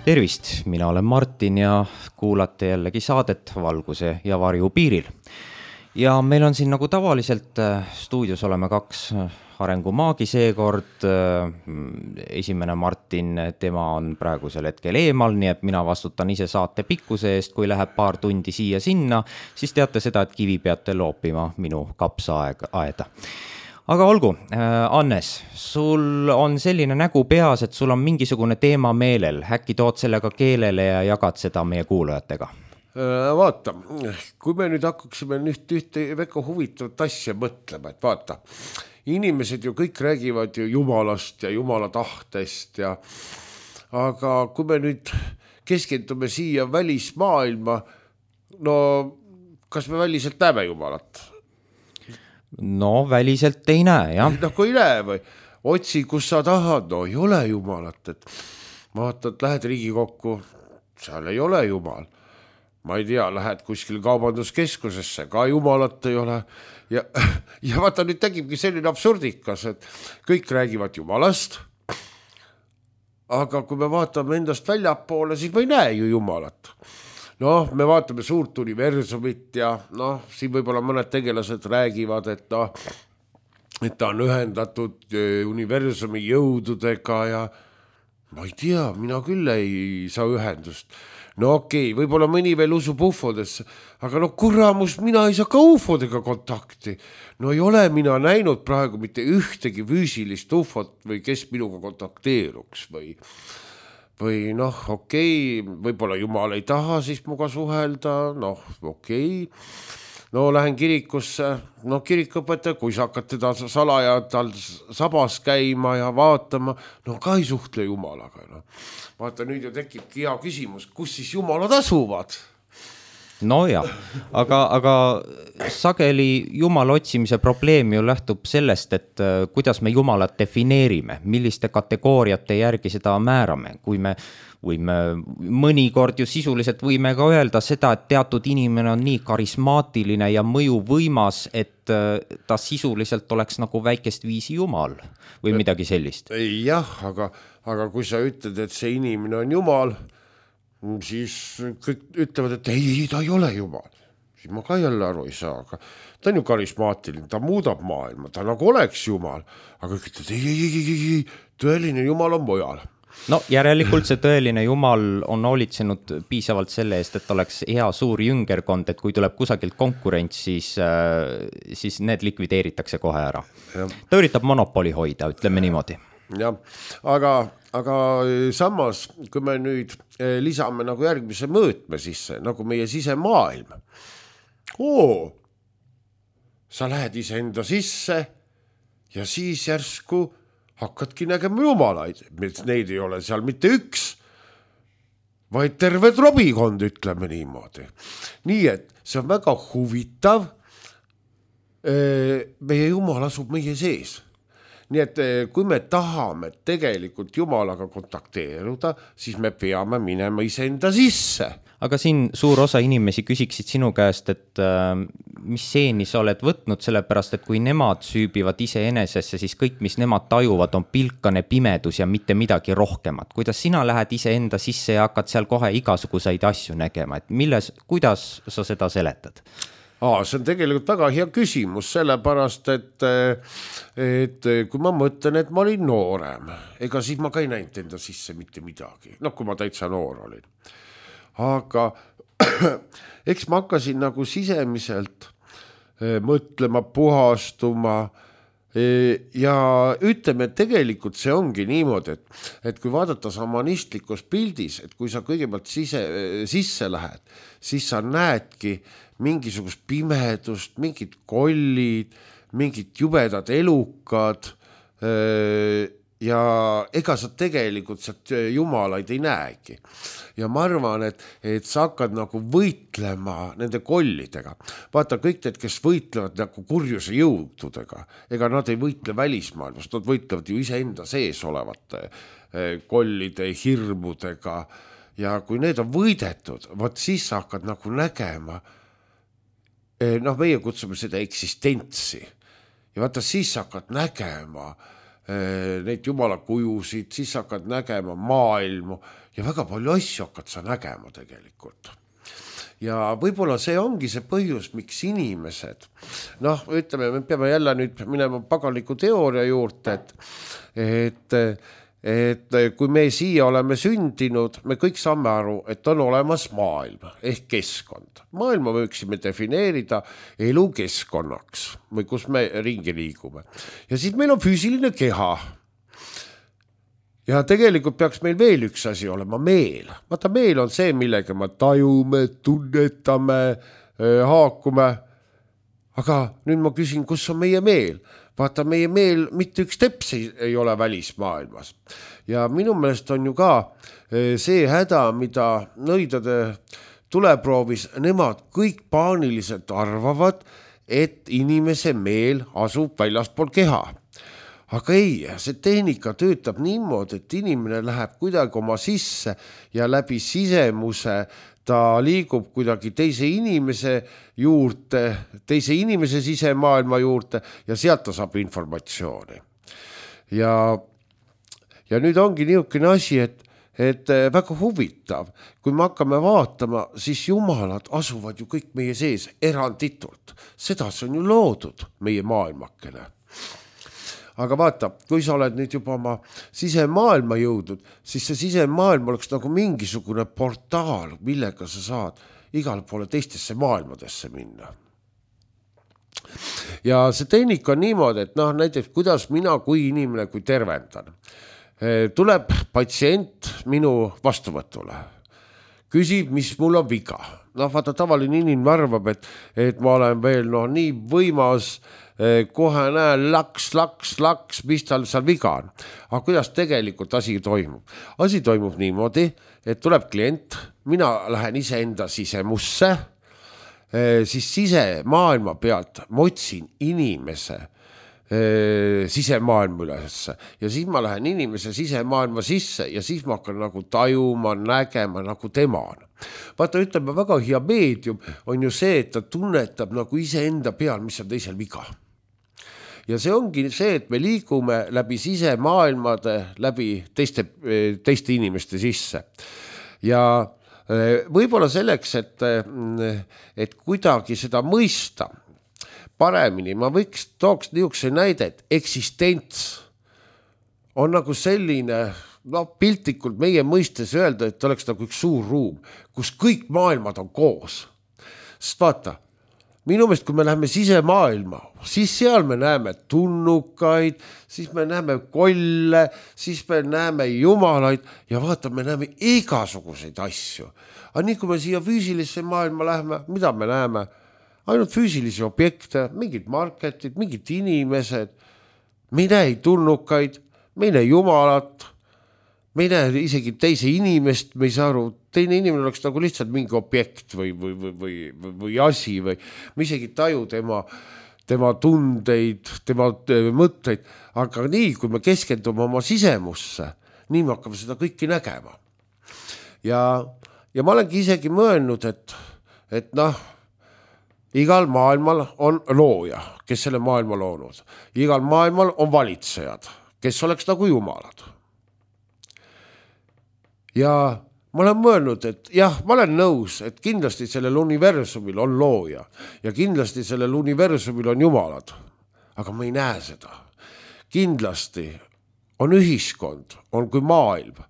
Tervist, mina olen Martin ja kuulate jällegi saadet Valguse ja varju piiril. Ja meil on siin nagu tavaliselt stuudios oleme kaks arengumaagi seekord. Esimene Martin, tema on praegusel hetkel eemal, nii et mina vastutan ise saate pikkuse eest. Kui läheb paar tundi siia-sinna, siis teate seda, et kivi peate loopima minu kapsaaeda. Aga olgu, Annes, sul on selline nägu peas, et sul on mingisugune teema meelel. Äkki tood sellega keelele ja jagad seda meie kuulajatega? Vaata, kui me nüüd hakkaksime ühte väga huvitavat asja mõtlema, et vaata, inimesed ju kõik räägivad ju Jumalast ja Jumala tahtest aga kui me nüüd keskendume siia välismaailma, no kas me väliselt näeme Jumalat? No väliselt ei näe, jah. No kui ei näe või, otsi kus sa tahad, no ei ole Jumalat, et vaatad, lähed Riigikokku, seal ei ole Jumal. Ma ei tea, lähed kuskil kaubanduskeskusesse, ka Jumalat ei ole. Ja vaata, nüüd tegibki selline absurdikas, et kõik räägivad Jumalast, aga kui me vaatame endast väljapoole, siis me ei näe ju Jumalat. Noh, me vaatame suurt universumit ja siin võib-olla mõned tegelased räägivad, et ta on ühendatud universumi jõududega ja ma ei tea, mina küll ei saa ühendust. No okei, võib-olla mõni veel usub ufodesse, aga kuramus, mina ei saa ka ufodega kontakti. No ei ole mina näinud praegu mitte ühtegi füüsilist ufot või kes minuga kontakteeruks või okei, võib-olla Jumal ei taha siis muga suhelda, okei. No lähen kirikusse, kirikõpetaja, kui sa hakkad teda salaja tal sabas käima ja vaatama, ka ei suhtle Jumalaga. Vaata, nüüd ju tekibki hea küsimus, kus siis Jumalad asuvad? No jah, aga sageli Jumala otsimise probleem ju lähtub sellest, et kuidas me Jumalat defineerime, milliste kategooriate järgi seda määrame. Kui me mõnikord ju sisuliselt võime ka öelda seda, et teatud inimene on nii karismaatiline ja mõjuvõimas, et ta sisuliselt oleks nagu väikest viisi Jumal või midagi sellist. Jah, aga kui sa ütled, et see inimene on Jumal, siis kõik ütlevad, et ei, ta ei ole Jumal. Siis ma ka jälle aru ei saa, aga ta on ju karismaatiline, ta muudab maailma, ta nagu oleks Jumal, aga kõik ütlevad, ei, tõeline Jumal on mujal. No järelikult see tõeline Jumal on hoolitsenud piisavalt selle eest, et oleks hea suur jüngerkond, et kui tuleb kusagilt konkurents, siis need likvideeritakse kohe ära. Ja. Ta üritab monopoli hoida, ütleme niimoodi. Jah, aga samas, kui me nüüd lisame nagu järgmise mõõtme sisse, nagu meie sisemaailm. Sa lähed ise enda sisse ja siis järsku hakkadki nägema Jumalaid. Neid ei ole seal mitte üks, vaid terve trobikond, ütleme niimoodi. Nii et see on väga huvitav. Meie Jumal asub meie sees. Nii et kui me tahame tegelikult Jumalaga kontakteeruda, siis me peame minema iseenda sisse. Aga siin suur osa inimesi küsiksid sinu käest, et mis seeni sa oled võtnud, sellepärast, et kui nemad süübivad ise enesesse, siis kõik, mis nemad tajuvad, on pilkane pimedus ja mitte midagi rohkemat. Kuidas sina lähed ise enda sisse ja hakkad seal kohe igasuguseid asju nägema, et kuidas sa seda seletad? See on tegelikult väga hea küsimus, sellepärast, et kui ma mõtlen, et ma olin noorem, ega siis ma ka ei näinud enda sisse mitte midagi, kui ma täitsa noor olin. Aga eks ma hakkasin nagu sisemiselt mõtlema, puhastuma ja ütleme, et tegelikult see ongi niimoodi, et kui vaadata samanistlikus pildis, et kui sa kõigepealt sisse lähed, siis sa näedki mingisugust pimedust, mingid kollid, mingid jubedad elukad ja ega sa tegelikult sealt Jumalaid ei näegi. Ja ma arvan, et sa hakkad nagu võitlema nende kollidega. Vaata, kõik need, kes võitlevad nagu kurjuse jõududega, ega nad ei võitle välismaailmast, nad võitlevad ju iseenda sees olevate kollide, hirmudega ja kui need on võidetud, siis sa hakkad nagu nägema, meie kutsume seda eksistentsi ja vaata, siis sa hakkad nägema neid jumala kujusid, siis hakkad nägema maailmu ja väga palju asju hakkad sa nägema tegelikult. Ja võib-olla see ongi see põhjus, miks inimesed, ütleme, me peame jälle nüüd minema paganliku teooria juurde, et kui me siia oleme sündinud, me kõik saame aru, et on olemas maailm ehk keskkond. Maailma võiksime defineerida elukeskkonnaks või kus me ringi liigume. Ja siis meil on füüsiline keha. Ja tegelikult peaks meil veel üks asi olema, meel. Vaata, meel on see, millega me tajume, tunnetame, haakume. Aga nüüd ma küsin, kus on meie meel? Vaata, meie meel mitte üks teps ei ole välismaailmas. Ja minu meelest on ju ka see häda, mida nõidade tuleproovis, nemad kõik paaniliselt arvavad, et inimese meel asub väljaspool keha. Aga ei, see tehnika töötab niimoodi, et inimene läheb kuidagi oma sisse ja läbi sisemuse ta liigub kuidagi teise inimese juurde, teise inimese sisemaailma juurde ja sealt ta saab informatsiooni. Ja nüüd ongi niisugune asi, et väga huvitav, kui me hakkame vaatama, siis jumalad asuvad ju kõik meie sees eranditult. Seda see on ju loodud meie maailmakene. Aga vaata, kui sa oled nüüd juba oma sisemaailma jõudnud, siis see sisemaailm oleks nagu mingisugune portaal, millega sa saad igale poole teistesse maailmadesse minna. Ja see tehnika on niimoodi, et näiteks kuidas mina kui inimene, kui tervendan. Tuleb patsient minu vastuvõtule. Küsib, mis mul on viga. Vaata, tavaline inimene arvab, et ma olen veel nii võimas, kohe näen laks, mis tal seal viga on. Aga kuidas tegelikult asi toimub? Asi toimub niimoodi, et tuleb klient, mina lähen iseenda sisemusse, siis sisemaailma pealt ma otsin inimese sisemaailma ülesse ja siis ma lähen inimese sisemaailma sisse ja siis ma hakkan nagu tajuma, nägema nagu tema on. Vaata, ütleme, väga hea meedium on ju see, et ta tunnetab nagu iseenda peal, mis on teisel viga. Ja see ongi see, et me liigume läbi sisemaailmade, läbi teiste inimeste sisse. Ja võib-olla selleks, et kuidagi seda mõista paremini, ma tooks niisuguse näide, et eksistents on nagu selline, piltlikult meie mõistes öelda, et oleks nagu üks suur ruum, kus kõik maailmad on koos. Sest vaata, minu meelest, kui me läheme sisemaailma, siis seal me näeme tunnukaid, siis me näeme kolle, siis me näeme jumalaid ja vaata, me näeme igasuguseid asju. Aga nii, kui me siia füüsilisse maailma läheme, mida me näeme? Ainult füüsilisi objekte, mingid marketid, mingid inimesed, me ei näe tunnukaid, me ei näe jumalat, me ei näe isegi teise inimest, me ei saa aru, teine inimene oleks nagu lihtsalt mingi objekt või asi või me isegi taju tema tundeid, tema mõtteid, aga nii, kui me keskendume oma sisemusse, nii me hakkame seda kõiki nägema. Ja ma olengi isegi mõelnud, et igal maailmal on looja, kes selle maailma loonud. Igal maailmal on valitsejad, kes oleks nagu jumalad. Ja ma olen mõelnud, et jah, ma olen nõus, et kindlasti sellel universumil on looja ja kindlasti sellel universumil on jumalad, aga ma ei näe seda. Kindlasti on ühiskond, on kui maailm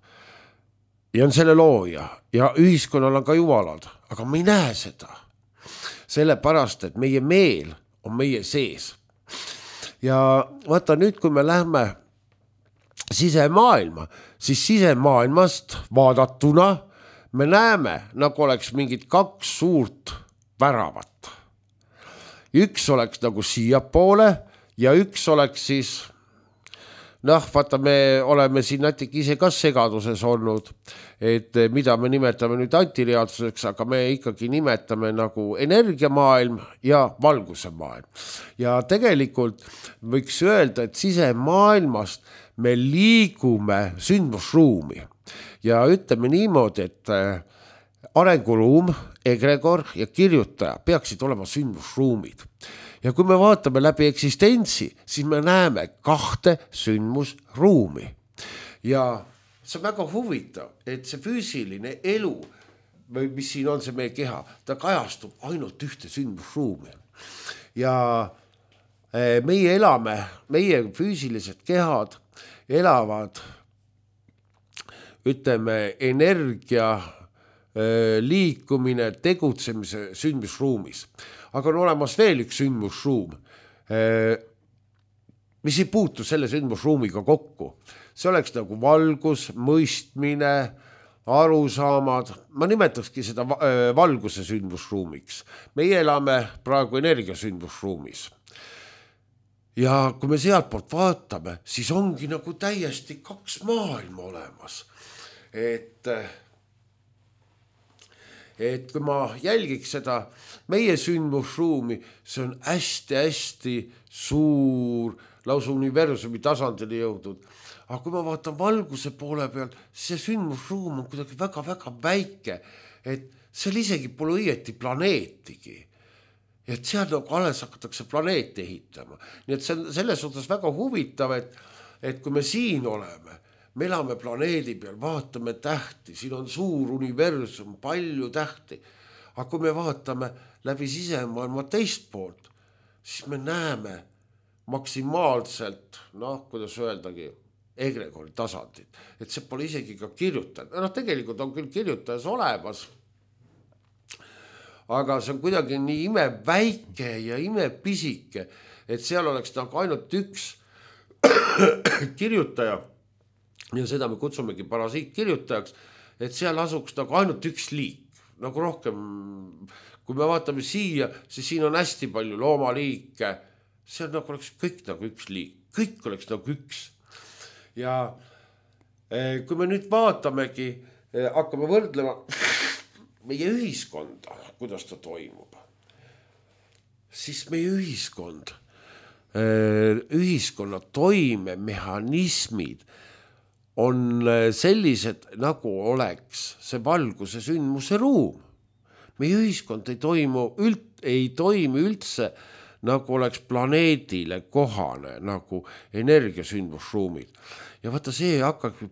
ja on selle looja ja ühiskonnal on ka jumalad, aga ma ei näe seda. Sellepärast, et meie meel on meie sees. Ja vaata nüüd, kui me lähme sisemaailma, siis sisemaailmast vaadatuna me näeme, nagu oleks mingid kaks suurt väravat. Üks oleks nagu siiapoole ja üks oleks siis, vaata, me oleme siin natuke ise ka segaduses olnud, et mida me nimetame nüüd antireaalsuseks, aga me ikkagi nimetame nagu energiamaailm ja valguse maailm. Ja tegelikult võiks öelda, et sisemaailmast me liigume sündmusruumi ja ütleme niimoodi, et arenguruum, egregor ja kirjutaja peaksid olema sündmusruumid. Ja kui me vaatame läbi eksistentsi, siis me näeme 2 sündmusruumi. Ja see on väga huvitav, et see füüsiline elu, mis siin on see meie keha, ta kajastub ainult ühte sündmusruumi. Ja meie elame, meie füüsilised kehad elavad, ütleme, energia liikumine, tegutsemise sündmusruumis. Aga on olemas veel üks sündmusruum, mis ei puutu selle sündmusruumiga kokku. See oleks nagu valgus, mõistmine, arusaamad. Ma nimetakski seda valguse sündmusruumiks. Meie elame praegu energia sündmusruumis. Ja kui me sealt poolt vaatame, siis ongi nagu täiesti 2 maailma olemas. Et kui ma jälgiks seda meie sündmusruumi, see on hästi-hästi suur, lausa universumi tasandile jõudnud. Aga kui ma vaatan valguse poole peal, see sündmusruum on kuidagi väga-väga väike, et seal isegi pole õieti planeetigi. Et seal nagu alles hakatakse planeete ehitama. Nii et see on selles suhtes väga huvitav, et kui me siin oleme, me elame planeedi peal, vaatame tähti, siin on suur universum, palju tähti. Aga kui me vaatame läbi sisemaailma teist poolt, siis me näeme maksimaalselt, kuidas öeldagi, egregori tasandit. Et see pole isegi ka kirjutaja. Tegelikult on küll kirjutajas olemas, aga see on kuidagi nii imeväike ja imepisike, et seal oleks nagu ainult üks kirjutaja, ja seda me kutsumegi parasiitkirjutajaks, et seal asuks nagu ainult üks liik, nagu rohkem, kui me vaatame siia, siis siin on hästi palju loomaliike, see on nagu oleks kõik nagu üks liik, kõik oleks nagu üks. Ja kui me nüüd vaatamegi, hakkame võrdlema meie ühiskonda, kuidas ta toimub, siis meie ühiskonna toimemehhanismid on sellised, nagu oleks see valguse sündmuse ruum. Meie ühiskond ei toimi üldse, nagu oleks planeedile kohane, nagu energiasündmusruumid. Ja vaata, see hakkabki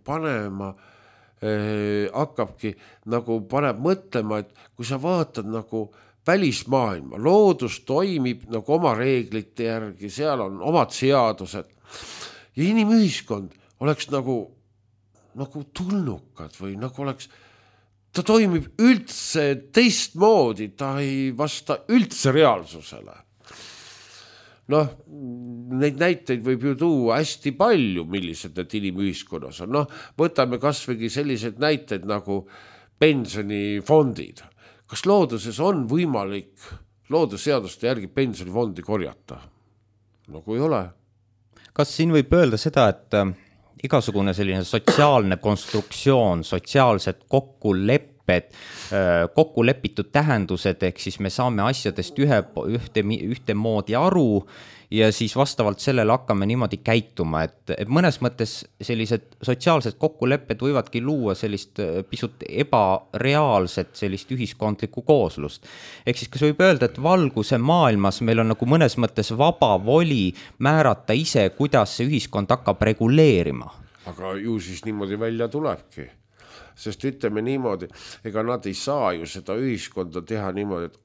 paneb mõtlema, et kui sa vaatad nagu välismaailma, loodus toimib nagu oma reeglite järgi, seal on omad seadused ja inimühiskond oleks nagu tulnukad või nagu oleks, ta toimib üldse teistmoodi, ta ei vasta üldse reaalsusele. Neid näiteid võib ju tuua hästi palju, millised need inimühiskonnas on. Võtame kasvõi sellised näited nagu pensionifondid. Kas looduses on võimalik loodusseaduste järgi pensionifondi korjata? Nagu ei ole. Kas siin võib öelda seda, et igasugune selline sotsiaalne konstruktsioon, sotsiaalsed kokkulepitud tähendused, ehk siis me saame asjadest ühte moodi aru ja siis vastavalt sellele hakkame niimoodi käituma, et mõnes mõttes sellised sotsiaalsed kokkulepped võivadki luua sellist pisut ebareaalset sellist ühiskondlikku kooslust. Ehk siis kas võib öelda, et valguse maailmas meil on nagu mõnes mõttes vaba voli määrata ise, kuidas see ühiskond hakkab reguleerima? Aga ju siis niimoodi välja tulebki. Sest ütleme niimoodi, ega nad ei saa ju seda ühiskonda teha niimoodi, et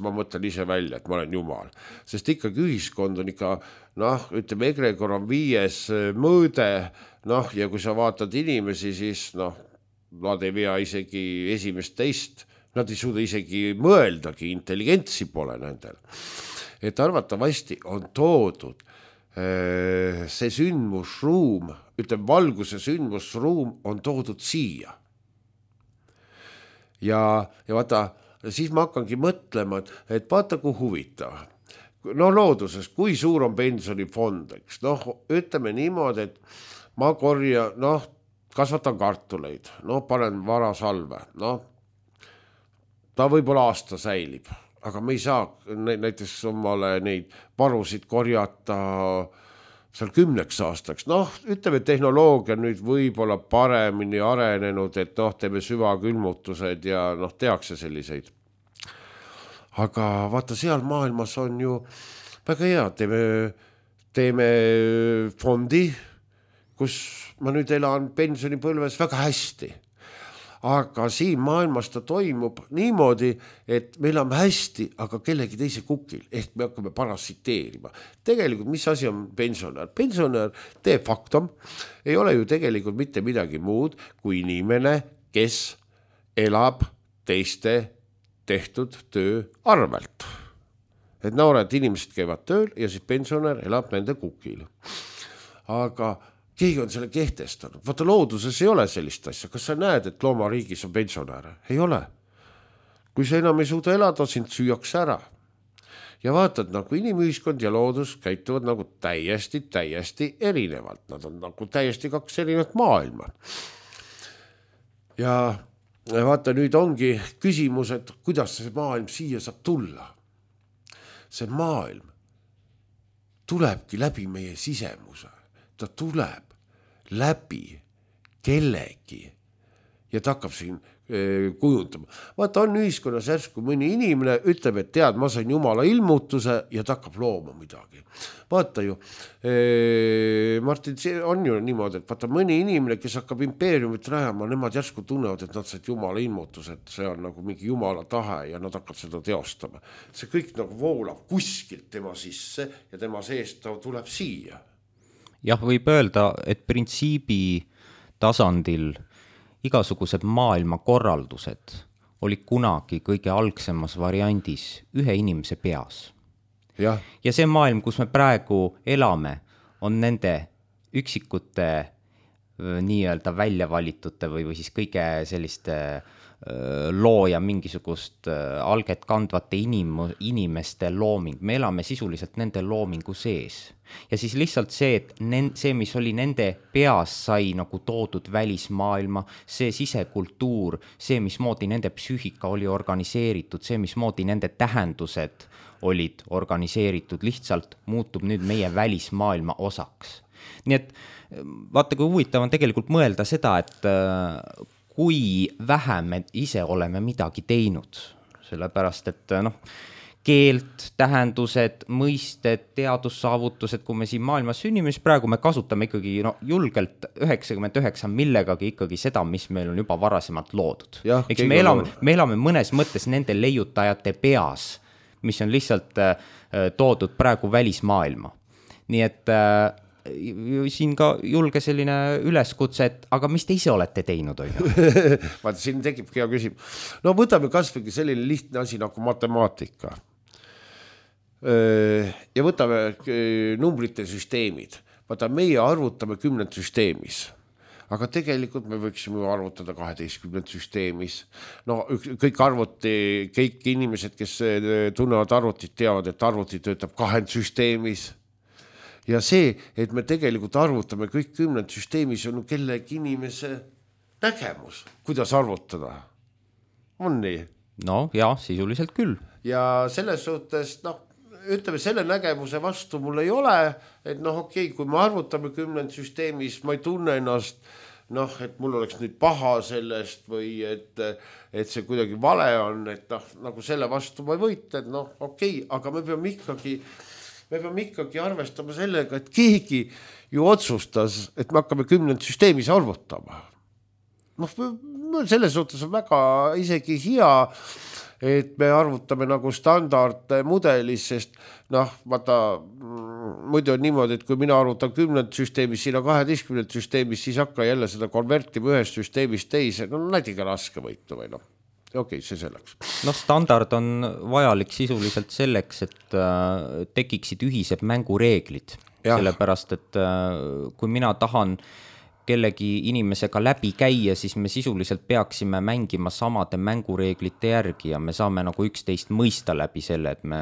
ma mõtlen ise välja, et ma olen jumal. Sest ikkagi ühiskond on ikka, ütleme, egregor on 5 mõõde, ja kui sa vaatad inimesi, siis nad ei vea isegi esimest teist, nad ei suuda isegi mõeldagi, intelligentsi pole nendel. Et arvatavasti on toodud see sündmusruum, ütleme, valguse sündmusruum on toodud siia. Ja vaata, siis ma hakkangi mõtlema, et vaata, kui huvitav. Looduses, kui suur on pensionifond, eks? Ütleme niimoodi, et ma kasvatan kartuleid, panen varasalve, ta võib-olla aasta säilib, aga me ei saa näiteks omale neid varusid korjata seal 10 aastaks, noh, ütleme, tehnoloogia nüüd võib-olla paremini arenenud, et noh, teeme süvakülmutused ja noh, tehakse selliseid. Aga vaata, seal maailmas on ju väga hea, teeme fondi, kus ma nüüd elan pensionipõlves väga hästi. Aga siin maailmas ta toimub niimoodi, et me elame hästi, aga kellegi teise kukil, ehk me hakkame parasiteerima. Tegelikult, mis asi on pensionär? Pensionär de facto ei ole ju tegelikult mitte midagi muud kui inimene, kes elab teiste tehtud töö arvelt. Et noored inimesed käivad tööl ja siis pensionär elab nende kukil. Aga keegi on selle kehtestanud. Vaata, looduses ei ole sellist asja. Kas sa näed, et loomariigis on pensionäre? Ei ole. Kui sa enam ei suuda elada, sind süüakse ära. Ja vaatad, nagu inimühiskond ja loodus käituvad nagu täiesti erinevalt. Nad on nagu täiesti 2 erinevat maailma. Ja vaata, nüüd ongi küsimus, et kuidas see maailm siia saab tulla. See maailm tulebki läbi meie sisemuse. Ta tuleb läbi kellegi ja ta hakkab siin kujundama. Vaata, on ühiskonnas järsku mõni inimene ütleb, et tead, ma sain Jumala ilmutuse ja ta hakkab looma midagi. Vaata ju, Martin, see on ju niimoodi, et vaata, mõni inimene, kes hakkab impeeriumit rajama, nemad järsku tunnevad, et nad said Jumala ilmutuse, et see on nagu mingi Jumala tahe ja nad hakkab seda teostama. See kõik nagu voolab kuskilt tema sisse ja tema seest ta tuleb siia. Jah, võib öelda, et printsiibi tasandil igasugused maailmakorraldused olid kunagi kõige algsemas variandis ühe inimese peas. Ja see maailm, kus me praegu elame, on nende üksikute nii-öelda väljavalitute või siis kõige selliste looja mingisugust alget kandvate inimeste looming. Me elame sisuliselt nende loomingu sees. Ja siis lihtsalt see, et see, mis oli nende peas, sai nagu toodud välismaailma, see sisekultuur, see, mismoodi nende psüühika oli organiseeritud, see, mismoodi nende tähendused olid organiseeritud, lihtsalt muutub nüüd meie välismaailma osaks. Nii et vaata, kui huvitav on tegelikult mõelda seda, et kui vähe me ise oleme midagi teinud, sellepärast, et keelt, tähendused, mõisted, teadussaavutused, kui me siin maailmas sünnime, siis praegu me kasutame ikkagi julgelt 99 millegagi ikkagi seda, mis meil on juba varasemalt loodud. Eks me elame mõnes mõttes nende leiutajate peas, mis on lihtsalt toodud praegu välismaailma. Nii et siin ka julge selline üleskutse, et aga mis te ise olete teinud? Vaata, siin tekib hea küsimus. No võtame kasvõi selline lihtne asi nagu matemaatika. Ja võtame numbrite süsteemid. Vaata, meie arvutame 10 süsteemis. Aga tegelikult me võiksime arvutada 12 süsteemis. No kõik inimesed, kes tunnevad arvutit, teavad, et arvuti töötab 2 süsteemis. Ja see, et me tegelikult arvutame kõik 10 süsteemis, on kellegi inimese nägemus, kuidas arvutada. On nii? No ja, sisuliselt küll. Ja selles suhtes, ütleme, selle nägemuse vastu mul ei ole, et okei, kui me arvutame 10 süsteemis, ma ei tunne ennast, et mul oleks nüüd paha sellest või et see kuidagi vale on, et nagu selle vastu ma ei võita, et okei, aga me peame ikkagi arvestama sellega, et keegi ju otsustas, et me hakkame 10 süsteemis arvutama. Selles suhtes on väga isegi hea, et me arvutame nagu standardmudelis, sest vaata, muidu on niimoodi, et kui mina arvutan 10 süsteemis, siin on 12 süsteemis, siis hakka jälle seda konvertima ühest süsteemist teise, näidiga raske võitu või okei, see selleks. Standard on vajalik sisuliselt selleks, et tekiksid ühised mängureeglid. Sellepärast, et kui mina tahan kellegi inimesega läbi käia, siis me sisuliselt peaksime mängima samade mängureeglite järgi ja me saame nagu üksteist mõista läbi selle, et me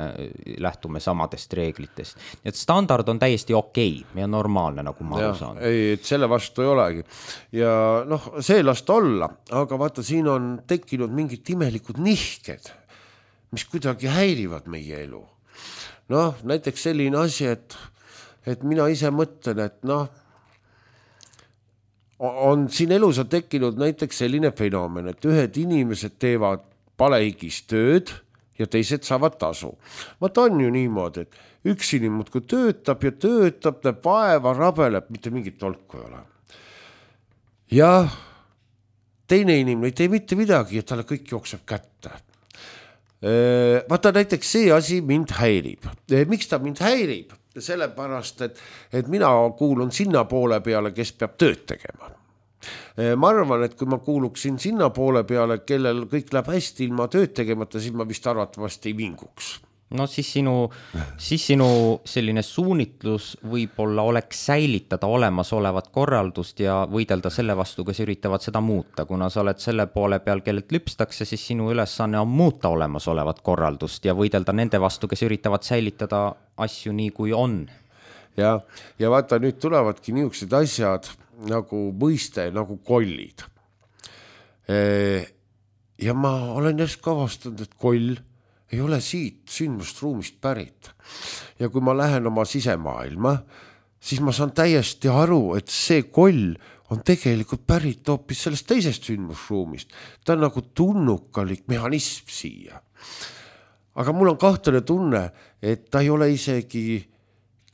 lähtume samadest reeglitest. Nii et standard on täiesti okei ja normaalne, nagu ma aru saan. Ei, et selle vastu ei olegi. Ja see last olla, aga vaata, siin on tekkinud mingid imelikud nihked, mis kuidagi häirivad meie elu. Näiteks selline asi, et et mina ise mõtlen, et noh, on siin elus on tekkinud näiteks selline fenomen, et ühed inimesed teevad palehigis tööd ja teised saavad tasu. Vaata on ju niimoodi, et üks inimene kui töötab ja töötab, näeb vaeva, rabeleb, mitte mingit tolku ei ole. Ja teine inimene ei tee mitte midagi ja talle kõik jookseb kätte. Vaata näiteks see asi mind häirib. Miks ta mind häirib? Sellepärast, et mina kuulun sinna poole peale, kes peab tööd tegema. Ma arvan, et kui ma kuuluksin sinna poole peale, kellel kõik läheb hästi ilma tööd tegemata, siis ma vist arvatavasti ei vinguks. No siis sinu selline suunitlus võib-olla oleks säilitada olemasolevat korraldust ja võidelda selle vastu, kes üritavad seda muuta. Kuna sa oled selle poole peal, kellelt lüpstakse, siis sinu ülesanne on muuta olemasolevat korraldust ja võidelda nende vastu, kes üritavad säilitada asju nii, kui on. Ja vaata, nüüd tulevadki niisugused asjad nagu mõiste, nagu kollid. Ja ma olen järsku avastanud, et koll ei ole siit sündmustruumist pärit. Ja kui ma lähen oma sisemaailma, siis ma saan täiesti aru, et see koll on tegelikult pärit hoopis sellest teisest sündmusruumist. Ta on nagu tunnukalik mehhanism siia. Aga mul on kahtlane tunne, et ta ei ole isegi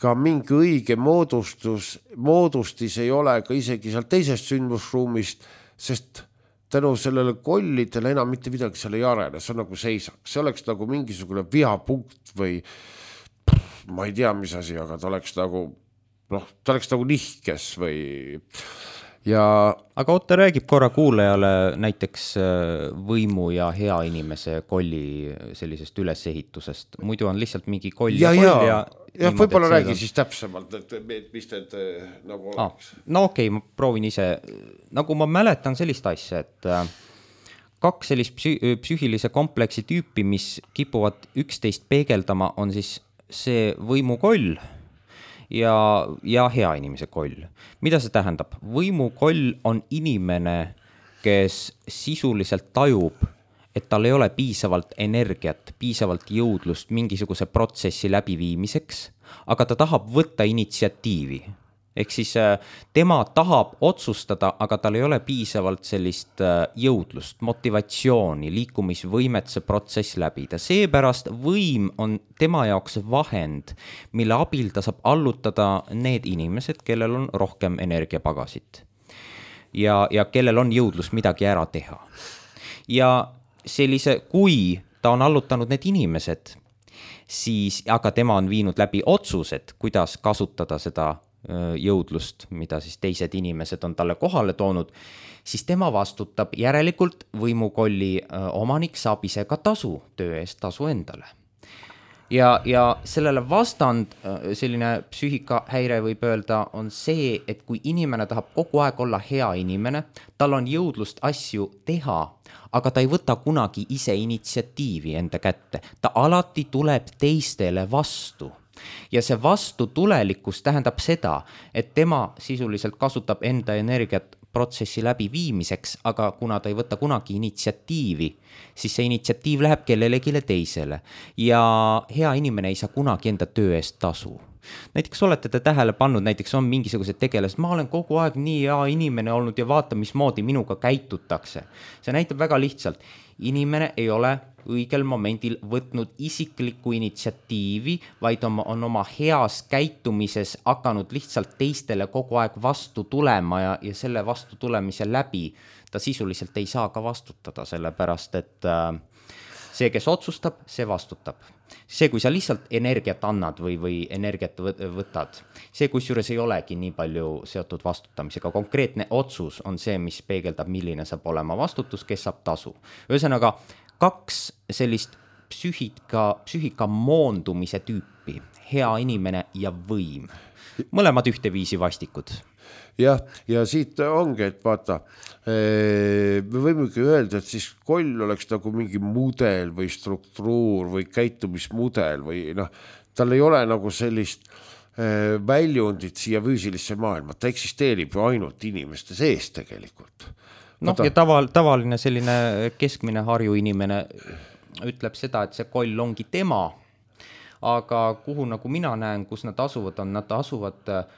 ka mingi õige moodustis ei ole ka isegi seal teisest sündmusruumist, sest tänu sellele kollidele enam mitte midagi seal ei arene, see on nagu seisaks. See oleks nagu mingisugune vihapunkt või ma ei tea, mis asi, aga ta oleks nagu nihkes või ja... Aga Otte räägib korra kuulajale näiteks võimu ja hea inimese kolli sellisest ülesehitusest. Muidu on lihtsalt mingi koll ja koll ja võib-olla räägi siis täpsemalt, et mis need nagu oleks. No okei, ma proovin ise. Nagu ma mäletan sellist asja, et kaks sellist psüühilise kompleksi tüüpi, mis kipuvad üksteist peegeldama, on siis see võimukoll ja hea inimese koll. Mida see tähendab? Võimukoll on inimene, kes sisuliselt tajub, et tal ei ole piisavalt energiat, piisavalt jõudlust mingisuguse protsessi läbiviimiseks, aga ta tahab võtta initsiatiivi. Ehk siis tema tahab otsustada, aga tal ei ole piisavalt sellist jõudlust, motivatsiooni, liikumisvõimet see protsess läbida. Seepärast võim on tema jaoks vahend, mille abil ta saab allutada need inimesed, kellel on rohkem energiapagasit ja kellel on jõudlus midagi ära teha. Ja kui ta on allutanud need inimesed, siis, aga tema on viinud läbi otsused, kuidas kasutada seda jõudlust, mida siis teised inimesed on talle kohale toonud, siis tema vastutab. Järelikult võimukolli omanik saab ise ka tasu, töö eest tasu endale. Ja sellele vastand, selline psüühikahäire võib öelda, on see, et kui inimene tahab kogu aeg olla hea inimene, tal on jõudlust asju teha, aga ta ei võta kunagi ise initsiatiivi enda kätte. Ta alati tuleb teistele vastu. Ja see vastutulelikkus tähendab seda, et tema sisuliselt kasutab enda energiat protsessi läbi viimiseks, aga kuna ta ei võta kunagi initsiatiivi, siis see initsiatiiv läheb kellelegi teisele. Ja hea inimene ei saa kunagi enda töö eest tasu. Näiteks olete te tähele pannud, näiteks on mingisugused tegelased, ma olen kogu aeg nii hea inimene olnud ja vaata, mismoodi minuga käitutakse. See näitab väga lihtsalt. Inimene ei ole õigel momendil võtnud isiklikku initsiatiivi, vaid on oma heas käitumises hakanud lihtsalt teistele kogu aeg vastu tulema ja selle vastu tulemise läbi ta sisuliselt ei saa ka vastutada, sellepärast et see, kes otsustab, see vastutab. See, kui sa lihtsalt energiat annad või energiat võtad, see kusjuures ei olegi nii palju seotud vastutamisega. Konkreetne otsus on see, mis peegeldab, milline saab olema vastutus, kes saab tasu. Ühesõnaga, kaks sellist psüühika moondumise tüüpi, hea inimene ja võim. Mõlemad ühteviisi vastikud. Ja siit ongi, et vaata, me võimegi öelda, et siis koll oleks nagu mingi mudel või struktuur või käitumismudel või tal ei ole nagu sellist väljundit siia füüsilisse maailma, ta eksisteerib ju ainult inimeste sees tegelikult. Ja tavaline selline keskmine Harju inimene ütleb seda, et see koll ongi tema, aga kuhu nagu mina näen, kus nad asuvad, nad asuvad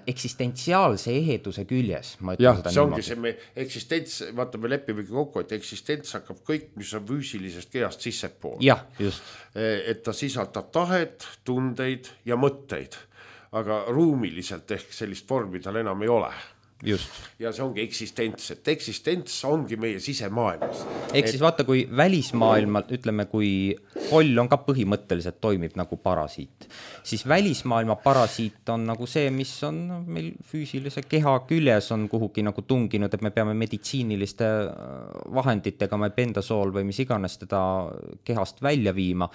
eksistentsiaalse eheduse küljes, ma ütlen seda see ongi see me eksistents, vaata me lepimegi kokku, et eksistents hakkab kõik, mis on füüsilisest kehast sissepool. Jah, just. Et ta sisaldab tahet, tundeid ja mõtteid, aga ruumiliselt ehk sellist vormi tal enam ei ole. Just. Ja see ongi eksistents, et eksistents ongi meie sisemaailmas. Ehk siis vaata, kui välismaailma, ütleme, kui koll on ka põhimõtteliselt toimib nagu parasiit, siis välismaailma parasiit on nagu see, mis on meil füüsilise keha küljes on kuhugi nagu tunginud, et me peame meditsiiniliste vahenditega, bendasool või mis iganes teda kehast välja viima,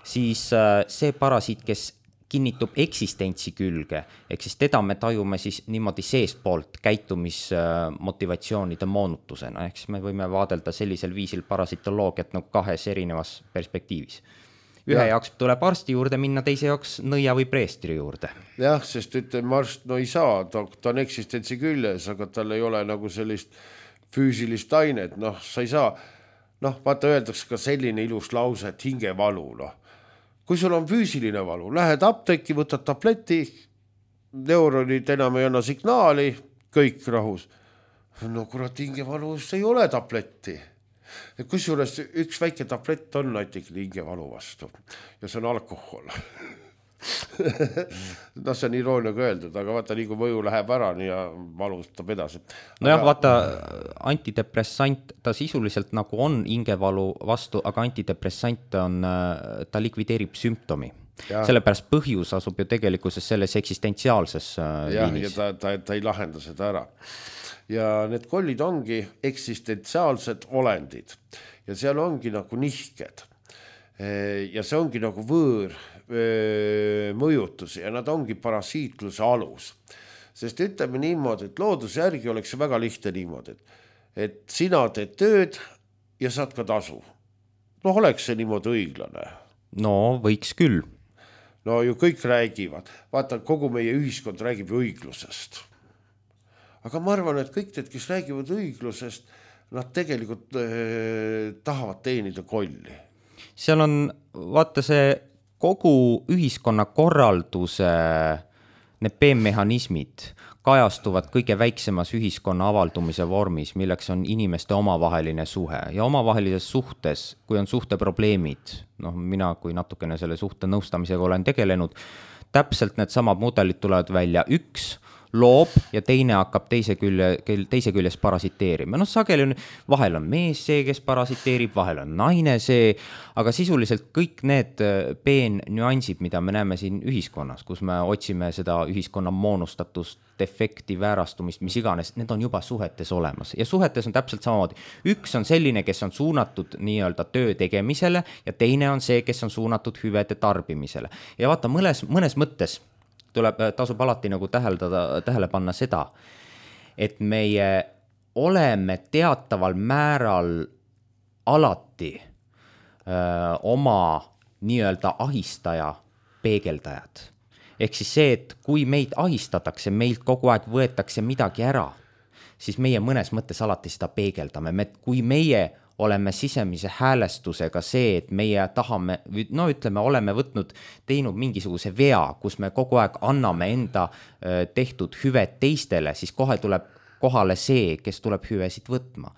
siis see parasiit, kes kinnitub eksistentsi külge, ehk siis teda me tajume siis niimoodi seespoolt käitumismotivatsioonide moonutusena, ehk siis me võime vaadelda sellisel viisil parasitoloogiat nagu kahes erinevas perspektiivis. Ühe jaoks tuleb arsti juurde minna, teise jaoks nõia või preestri juurde. Jah, sest ütleme arst, no ei saa, ta on eksistentsi küljes, aga tal ei ole nagu sellist füüsilist ainet, sa ei saa, vaata öeldakse ka selline ilus lause, et hingevalu, kui sul on füüsiline valu, lähed apteeki, võtad tableti, neuronid enam ei anna signaali, kõik rahus. No kurat, hingevalus ei ole tabletti. Kusjuures üks väike tablett on näiteks hingevalu vastu ja see on alkohol. See on irooniaga öeldud, aga vaata, nii kui mõju läheb ära ja valustab edasi. Vaata, antidepressant, ta sisuliselt nagu on hingevalu vastu, aga antidepressant on, ta likvideerib sümptomi. Sellepärast põhjus asub ju tegelikkuses selles eksistentsiaalses liinis. Ja ta ei lahenda seda ära. Ja need kollid ongi eksistentsiaalsed olendid ja seal ongi nagu nihked ja see ongi nagu võõr mõjutus ja nad ongi parasiitluse alus. Sest ütleme niimoodi, et looduse järgi oleks see väga lihtne niimoodi, et sina teed tööd ja saad ka tasu. Oleks see niimoodi õiglane? No võiks küll. No ju kõik räägivad. Vaata, kogu meie ühiskond räägib õiglusest. Aga ma arvan, et kõik need, kes räägivad õiglusest, nad tegelikult tahavad teenida kolli. Seal on, vaata see kogu ühiskonna korralduse need PM-mehhanismid kajastuvad kõige väiksemas ühiskonna avaldumise vormis, milleks on inimeste omavaheline suhe. Ja omavahelises suhtes, kui on suhteprobleemid, mina kui natukene selle suhte nõustamisega olen tegelenud, täpselt need samad mudelid tulevad välja. Üks loob ja teine hakkab teise küljes parasiteerima. Sageli on, vahel on mees see, kes parasiteerib, vahel on naine see, aga sisuliselt kõik need nüansid, mida me näeme siin ühiskonnas, kus me otsime seda ühiskonna moonustatust, defekti, väärastumist, mis iganes, need on juba suhetes olemas. Ja suhetes on täpselt samamoodi. Üks on selline, kes on suunatud nii-öelda töö tegemisele ja teine on see, kes on suunatud hüvede tarbimisele. Ja vaata, mõnes mõttes tasub alati nagu tähele panna seda, et meie oleme teataval määral alati oma nii-öelda ahistaja peegeldajad. Ehk siis see, et kui meid ahistatakse, meilt kogu aeg võetakse midagi ära, siis meie mõnes mõttes alati seda peegeldame. Kui meie oleme sisemise häälestusega see, et meie tahame, oleme teinud mingisuguse vea, kus me kogu aeg anname enda tehtud hüved teistele, siis kohe tuleb kohale see, kes tuleb hüvesid võtma.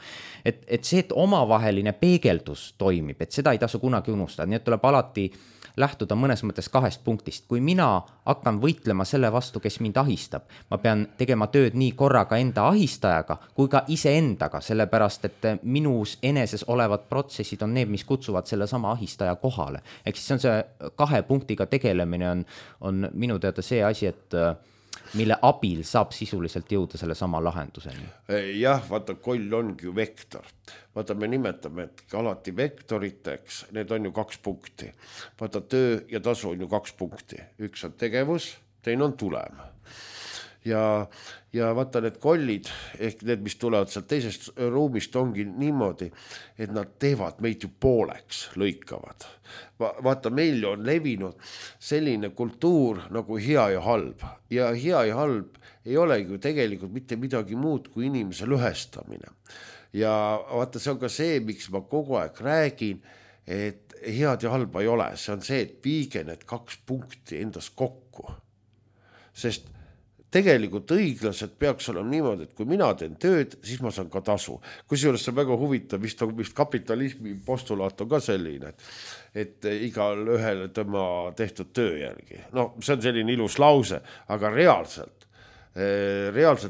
Et see, et omavaheline peegeldus toimib, et seda ei tasu kunagi unustada, nii et tuleb alati lähtuda mõnes mõttes kahest punktist. Kui mina hakkan võitlema selle vastu, kes mind ahistab, ma pean tegema tööd nii korraga enda ahistajaga kui ka iseendaga, sellepärast et minus eneses olevad protsessid on need, mis kutsuvad selle sama ahistaja kohale. Ehk siis on see kahe punktiga tegelemine on minu teada see asi, et mille abil saab sisuliselt jõuda selle sama lahenduseni. Jah, vaata, koll ongi ju vektor. Vaata, me nimetame, et alati vektoriteks, need on ju 2 punkti. Vaata, töö ja tasu on ju 2 punkti. Üks on tegevus, teine on tulem. Ja vaata, need kollid, ehk need, mis tulevad sealt teisest ruumist, ongi niimoodi, et nad teevad meid ju pooleks, lõikavad. Vaata, meil on levinud selline kultuur nagu hea ja halb. Ja hea ja halb ei ole ju tegelikult mitte midagi muud kui inimese lõhestamine. Ja vaata, see on ka see, miks ma kogu aeg räägin, et head ja halba ei ole, see on see, et viige need 2 punkti endas kokku. Sest tegelikult õiglaselt peaks olema niimoodi, et kui mina teen tööd, siis ma saan ka tasu. Kusjuures see on väga huvitav, vist kapitalismi postulaat on ka selline, et igal ühele tema tehtud töö järgi. No see on selline ilus lause, aga reaalselt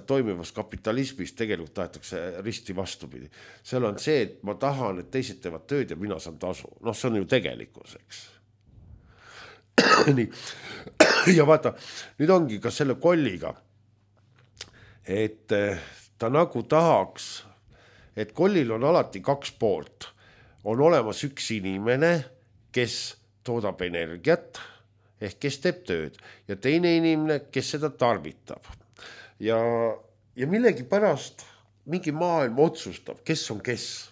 toimivas kapitalismis tegelikult tahetakse risti vastupidi. Seal on see, et ma tahan, et teised teevad tööd ja mina saan tasu. Noh, see on ju tegelikkus, eks. Nii. Ja vaata, nüüd ongi ka selle kolliga, et ta nagu tahaks, et kollil on alati 2 poolt. On olemas üks inimene, kes toodab energiat, ehk kes teeb tööd, ja teine inimene, kes seda tarvitab. Ja millegi pärast mingi maailm otsustab, kes on kes.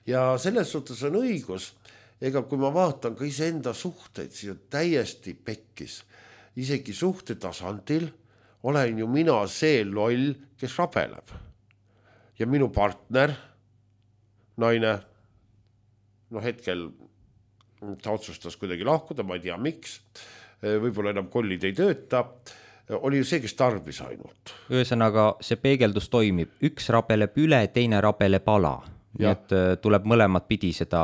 Ja selles suhtes on õigus, ega kui ma vaatan ka iseenda suhteid, siis on täiesti pekkis. Isegi suhte tasandil olen ju mina see loll, kes rabeleb. Ja minu partner, naine, no hetkel ta otsustas kuidagi lahkuda, ma ei tea miks, võib-olla enam kollid ei tööta, oli ju see, kes tarbis ainult. Ühesõnaga, see peegeldus toimib. Üks rabeleb üle, teine rabeleb ala. Nii et tuleb mõlemad pidi seda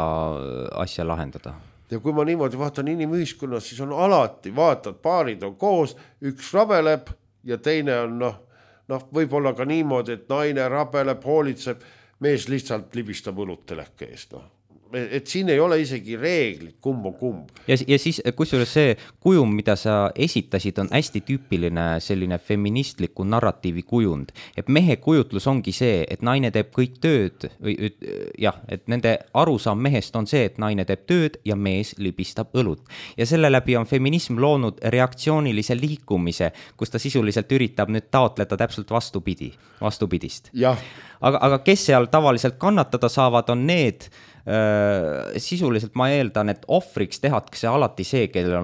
asja lahendada. Ja kui ma niimoodi vaatan inimühiskonnas, siis on alati, vaatad, paarid on koos, üks rabeleb ja teine on, võib-olla ka niimoodi, et naine rabeleb, hoolitseb, mees lihtsalt libistab õlut teleke eest, et siin ei ole isegi reeglit, kumb on kumb. Ja siis, kusjuures see kujum, mida sa esitasid, on hästi tüüpiline selline feministliku narratiivi kujund. Et mehe kujutlus ongi see, et naine teeb kõik tööd, et nende arusaam mehest on see, et naine teeb tööd ja mees libistab õlut. Ja selle läbi on feminism loonud reaktsioonilise liikumise, kus ta sisuliselt üritab nüüd taotleda täpselt vastupidist. Ja. Aga kes seal tavaliselt kannatada saavad, on need sisuliselt ma eeldan, et ohvriks tehakse alati see, kellel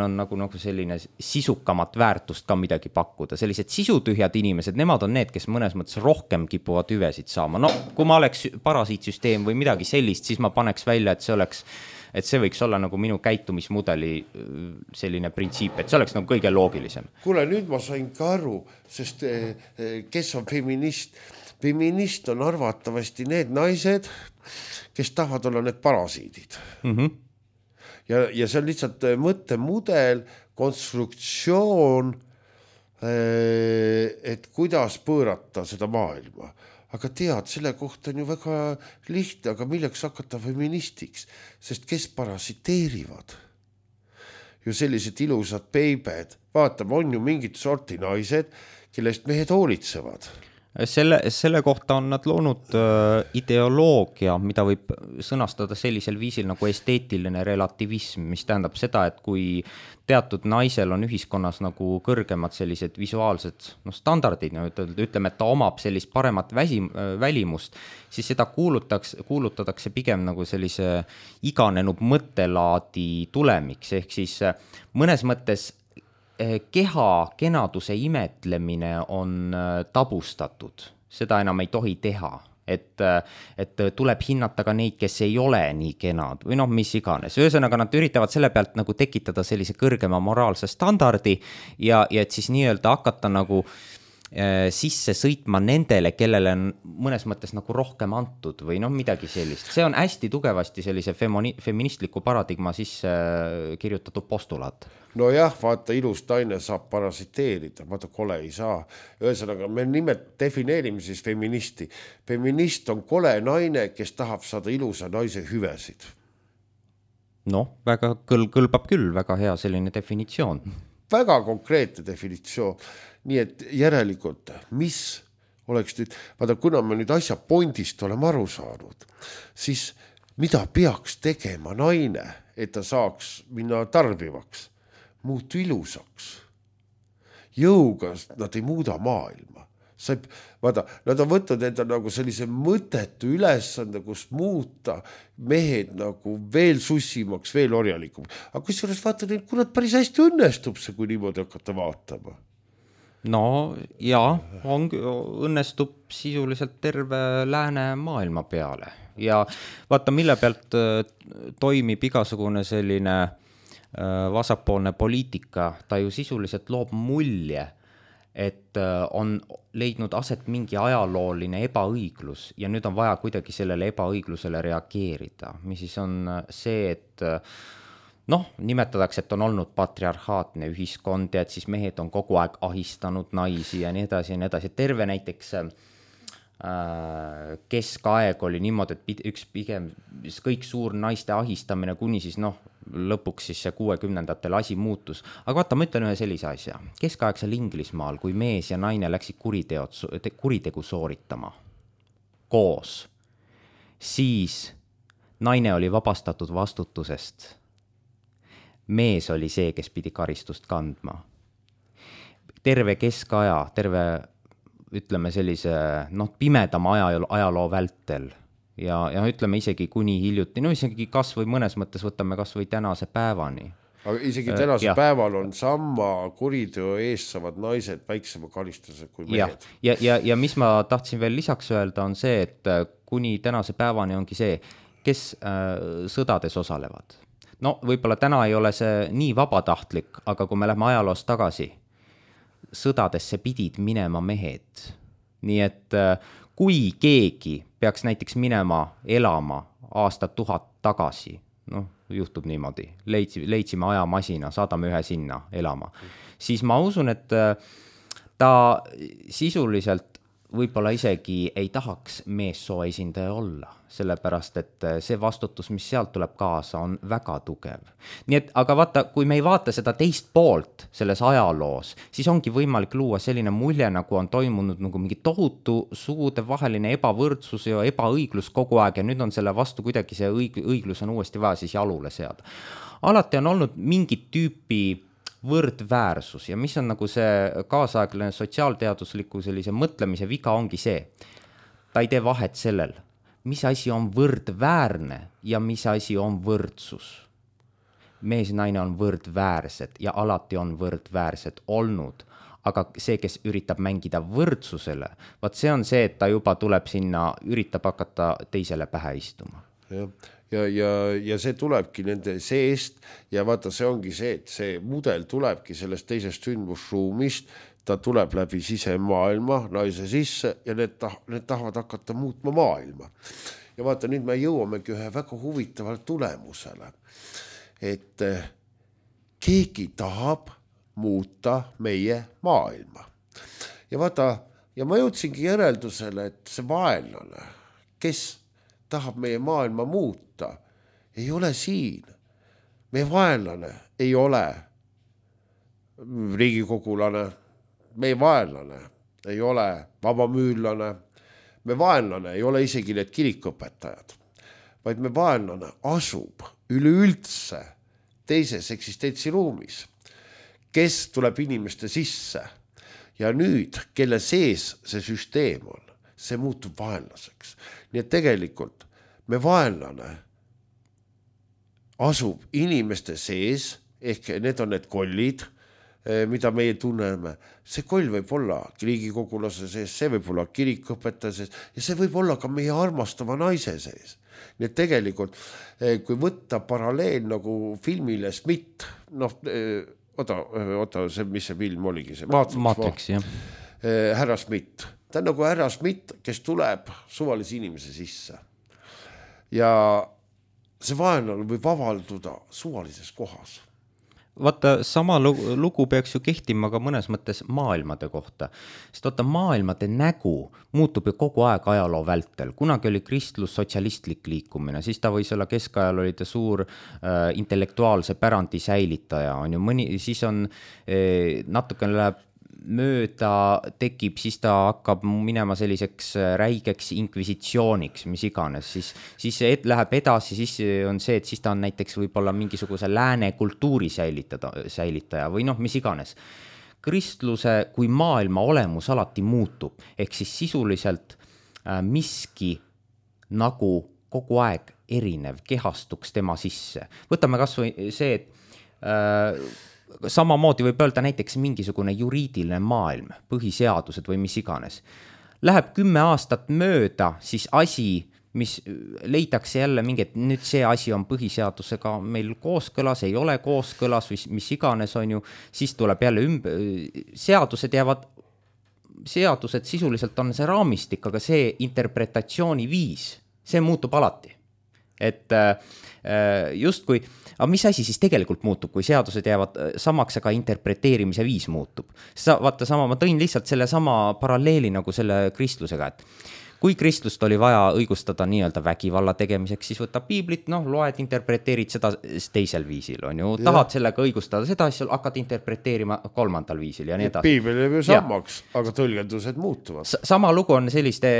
on nagu selline sisukamat väärtust ka midagi pakkuda. Sellised sisutühjad inimesed, nemad on need, kes mõnes mõttes rohkem kipuvad hüvesid saama. No kui ma oleks parasiitsüsteem või midagi sellist, siis ma paneks välja, et see võiks olla nagu minu käitumismudeli selline printsiip, et see oleks nagu kõige loogilisem. Kuule, nüüd ma sain ka aru, sest kes on feminist? Feminist on arvatavasti need naised, kes tahavad olla need parasiidid. Ja see on lihtsalt mõttemudel, konstruktsioon, et kuidas pöörata seda maailma. Aga tead, selle kohta on ju väga lihtne, aga milleks hakata feministiks, sest kes parasiteerivad? Ju sellised ilusad peibed, vaatame, on ju mingid sorti naised, kellest mehed hoolitsevad. Selle kohta on nad loonud ideoloogia, mida võib sõnastada sellisel viisil nagu esteetiline relativism, mis tähendab seda, et kui teatud naisel on ühiskonnas nagu kõrgemad sellised visuaalsed standardid, ütleme, et ta omab sellist paremat välimust, siis seda kuulutatakse pigem nagu sellise iganenud mõttelaadi tulemiks, ehk siis mõnes mõttes keha kenaduse imetlemine on tabustatud, seda enam ei tohi teha, et tuleb hinnata ka neid, kes ei ole nii kenad või mis iganes. Ühesõnaga nad üritavad selle pealt nagu tekitada sellise kõrgema moraalse standardi ja et siis nii-öelda hakata nagu sisse sõitma nendele, kellele on mõnes mõttes nagu rohkem antud või midagi sellist. See on hästi tugevasti sellise feministliku paradigma sisse kirjutatud postulaat. No jah, vaata, ilus naine saab parasiteerida, vaata, kole ei saa. Ühesõnaga, me defineerime siis feministi. Feminist on kole naine, kes tahab saada ilusa naise hüvesid. Väga kõlbab küll, väga hea selline definitsioon. Väga konkreetne definitsioon. Nii et järelikult, mis oleks nüüd, vaata, kuna me nüüd asja pondist oleme aru saanud, siis mida peaks tegema naine, et ta saaks minna tarbivaks, muutu ilusaks. Jõuga nad ei muuda maailma. Vaata, nad on võtnud enda nagu sellise mõttetu ülesande, kus muuta mehed nagu veel sussimaks, veel orjalikumaks. Aga kusjuures vaata neid, kui nad päris hästi õnnestub see, kui niimoodi hakata vaatama. no ja õnnestub sisuliselt terve läänemaailma peale ja vaata, mille pealt toimib igasugune selline vasakpoolne poliitika, ta ju sisuliselt loob mulje, et on leidnud aset mingi ajalooline ebaõiglus ja nüüd on vaja kuidagi sellele ebaõiglusele reageerida, mis siis on see, et nimetatakse, et on olnud patriarhaatne ühiskond ja et siis mehed on kogu aeg ahistanud naisi ja nii edasi ja nii edasi. Terve näiteks keskaeg oli niimoodi, et üks pigem kõik suur naiste ahistamine kuni siis lõpuks siis see 60-ndatel asi muutus. Aga vaata, ma ütlen ühe sellise asja. Keskaegsel Inglismaal, kui mees ja naine läksid kuritegu sooritama koos, siis naine oli vabastatud vastutusest. Mees oli see, kes pidi karistust kandma. Terve keskaja, ütleme sellise pimedama ajaloo vältel ja ütleme isegi kuni hiljuti, isegi kas või mõnes mõttes võtame kas või tänase päevani. Aga isegi tänase päeval on sama kuriteo eest saavad naised väiksema karistuse kui mehed. Ja mis ma tahtsin veel lisaks öelda on see, et kuni tänase päevani ongi see, kes sõdades osalevad. Võib-olla täna ei ole see nii vabatahtlik, aga kui me lähme ajaloos tagasi, sõdadesse pidid minema mehed. Nii et kui keegi peaks näiteks minema elama aastat 1000 tagasi, juhtub niimoodi, leidsime ajamasina, saadame ühe sinna elama, siis ma usun, et ta sisuliselt võib-olla isegi ei tahaks meessoo esindaja olla, sellepärast et see vastutus, mis sealt tuleb kaasa, on väga tugev. Nii et, aga vaata, kui me ei vaata seda teist poolt selles ajaloos, siis ongi võimalik luua selline mulje, nagu on toimunud nagu mingi tohutu sugude vaheline ebavõrdsus ja ebaõiglus kogu aeg ja nüüd on selle vastu kuidagi see õiglus on uuesti vaja siis jalule seada. Alati on olnud mingit tüüpi võrdväärsus ja mis on nagu see kaasaegne sotsiaalteadusliku sellise mõtlemise viga ongi see. Ta ei tee vahet sellel, mis asi on võrdväärne ja mis asi on võrdsus. Mees ja naine on võrdväärsed ja alati on võrdväärsed olnud, aga see, kes üritab mängida võrdsusele, vaat see on see, et ta juba tuleb sinna, üritab hakata teisele pähe istuma. Ja see tulebki nende seest ja vaata, see ongi see, et see mudel tulebki sellest teisest sündmusruumist, ta tuleb läbi sisemaailma naise sisse ja need tahavad hakata muutma maailma. Ja vaata, nüüd me jõuamegi ühe väga huvitavale tulemusele, et keegi tahab muuta meie maailma. Ja vaata, ja ma jõudsingi järeldusele, et see vaenlane, kes tahab meie maailma muuta, ei ole siin. Meie vaenlane ei ole riigikogulane, meie vaenlane ei ole vabamüürlane, me vaenlane ei ole isegi need kirikuõpetajad, vaid me vaenlane asub üleüldse teises eksistentsiruumis, kes tuleb inimeste sisse ja nüüd, kelle sees see süsteem on, see muutub vaenlaseks. Nii et tegelikult me vaenlane asub inimeste sees, ehk need on need kollid, mida meie tunneme. See koll võib olla riigikogulase sees, see võib olla kirikuõpetaja sees ja see võib olla ka meie armastava naise sees. Nii et tegelikult, kui võtta paralleel nagu filmile Smith, oota, mis see film oligi? Matrix, jah. Härra Smith. Ta on nagu härra Smith, kes tuleb suvalise inimese sisse. Ja see vaenlane võib avalduda suvalises kohas. Vaata, sama lugu peaks ju kehtima ka mõnes mõttes maailmade kohta. Sest vaata, maailmade nägu muutub ju kogu aeg ajaloo vältel. Kunagi oli kristlus sotsialistlik liikumine, siis ta võis olla keskajal oli ta suur intellektuaalse pärandi säilitaja. On ju siis on natukene läheb mööda tekib, siis ta hakkab minema selliseks räigeks inkvisitsiooniks, mis iganes, siis see läheb edasi, siis on see, et siis ta on näiteks võib-olla mingisuguse lääne kultuuri säilitaja või mis iganes. Kristluse kui maailma olemus alati muutub, ehk siis sisuliselt miski nagu kogu aeg erinev kehastuks tema sisse. Võtame kas või see, et samamoodi võib öelda näiteks mingisugune juriidiline maailm, põhiseadused või mis iganes. Läheb 10 aastat mööda, siis asi, mis leidakse jälle mingi, et nüüd see asi on põhiseadusega meil kooskõlas, ei ole kooskõlas või mis iganes on ju, siis tuleb jälle seadused sisuliselt on see raamistik, aga see interpretatsiooni viis, see muutub alati. Et justkui, aga mis asi siis tegelikult muutub, kui seadused jäävad samaks, aga interpreteerimise viis muutub? Vaata sama, ma tõin lihtsalt selle sama paralleeli nagu selle kristlusega, et kui kristlust oli vaja õigustada nii-öelda vägivalla tegemiseks, siis võtab piiblit, loed, interpreteerid seda teisel viisil, on ju, tahad sellega õigustada seda, siis hakkad interpreteerima 3. viisil ja nii edasi. Piibel jääb ju sammaks, aga tõlgendused muutuvad. Sama lugu on selliste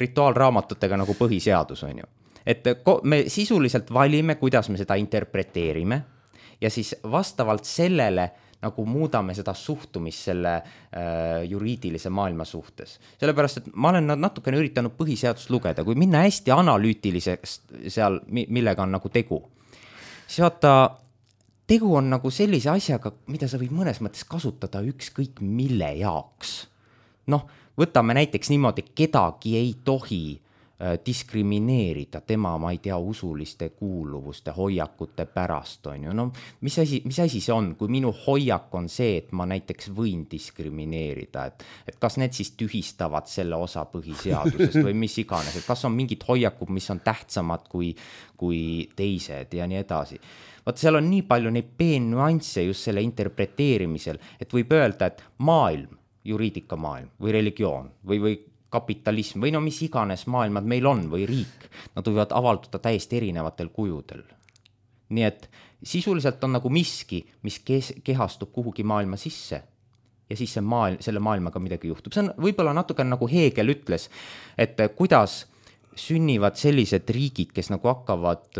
rituaalraamatutega nagu põhiseadus, on ju. Et me sisuliselt valime, kuidas me seda interpreteerime ja siis vastavalt sellele nagu muudame seda suhtumist selle juriidilise maailma suhtes. Sellepärast, et ma olen natukene üritanud põhiseadust lugeda, kui minna hästi analüütiliseks seal, millega on nagu tegu. Siis vaata, tegu on nagu sellise asjaga, mida sa võid mõnes mõttes kasutada ükskõik mille jaoks. Võtame näiteks niimoodi, kedagi ei tohi diskrimineerida tema, ma ei tea, usuliste kuuluvuste, hoiakute pärast on ju. Mis asi see on, kui minu hoiak on see, et ma näiteks võin diskrimineerida, et kas need siis tühistavad selle osa põhiseadusest või mis iganes, et kas on mingid hoiakud, mis on tähtsamad kui teised ja nii edasi. Vaat seal on nii palju neid peennuansse just selle interpreteerimisel, et võib öelda, et maailm, juriidikamaailm või religioon või kapitalism või mis iganes maailmad meil on või riik, nad võivad avalduda täiesti erinevatel kujudel. Nii et sisuliselt on nagu miski, mis kehastub kuhugi maailma sisse ja siis selle maailmaga midagi juhtub. See on võib-olla natuke nagu Hegel ütles, et kuidas sünnivad sellised riigid, kes nagu hakkavad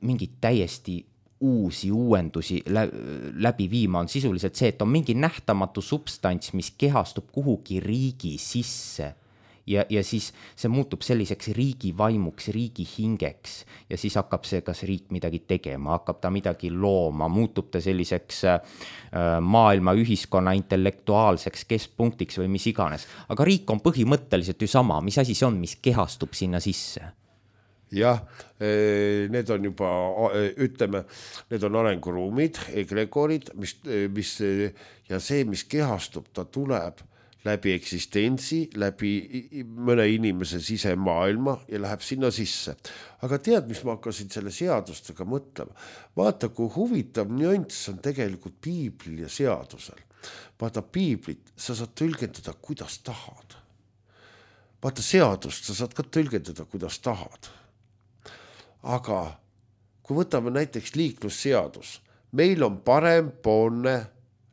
mingid täiesti uuendusi läbi viima, on sisuliselt see, et on mingi nähtamatu substants, mis kehastub kuhugi riigi sisse. Ja siis see muutub selliseks riigi vaimuks, riigi hingeks ja siis hakkab see, kas riik midagi tegema, hakkab ta midagi looma, muutub ta selliseks maailma ühiskonna intellektuaalseks keskpunktiks või mis iganes. Aga riik on põhimõtteliselt ju sama, mis asi see on, mis kehastub sinna sisse? Jah, need on juba, ütleme, need on arenguruumid, egregorid, ja see, mis kehastub, ta tuleb läbi eksistentsi, läbi mõne inimese sisemaailma ja läheb sinna sisse. Aga tead, mis ma hakkasin selle seadustega mõtlema? Vaata, kui huvitav nüanss on tegelikult piiblil ja seadusel. Vaata, piiblit sa saad tõlgendada, kuidas tahad. Vaata, seadust sa saad ka tõlgendada, kuidas tahad. Aga kui võtame näiteks liiklusseadus, meil on parempoolne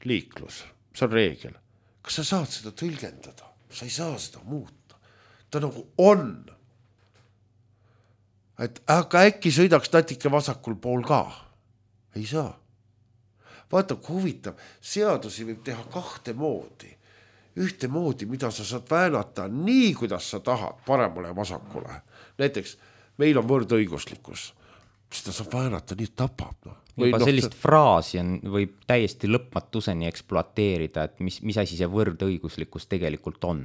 liiklus, see on reegel. Kas sa saad seda tõlgendada? Sa ei saa seda muuta. Ta nagu on. Aga äkki sõidaks natuke vasakul pool ka? Ei saa. Vaata, kui huvitav, seadusi võib teha 2 moodi. Ühte moodi, mida sa saad väänata nii, kuidas sa tahad, paremale ja vasakule. Näiteks, meil on võrdõiguslikkus. Seda saab väänata nii, et tapab. Juba sellist fraasi võib täiesti lõpmatuseni ekspluateerida, et mis asi see võrdõiguslikkus tegelikult on.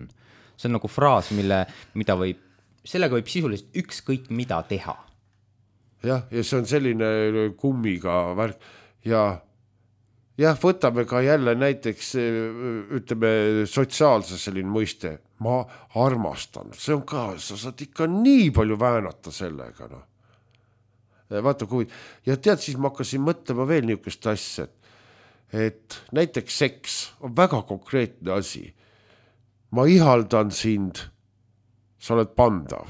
See on nagu fraas, sellega võib sisuliselt ükskõik mida teha. Ja see on selline kummiga värk. Ja võtame ka jälle näiteks, ütleme, sotsiaalse selline mõiste. Ma armastan. See on ka, sa saad ikka nii palju väänata sellega, Vaata kui, ja tead, siis ma hakkasin mõtlema veel niisugust asja, et näiteks seks on väga konkreetne asi. Ma ihaldan sind, sa oled pandav,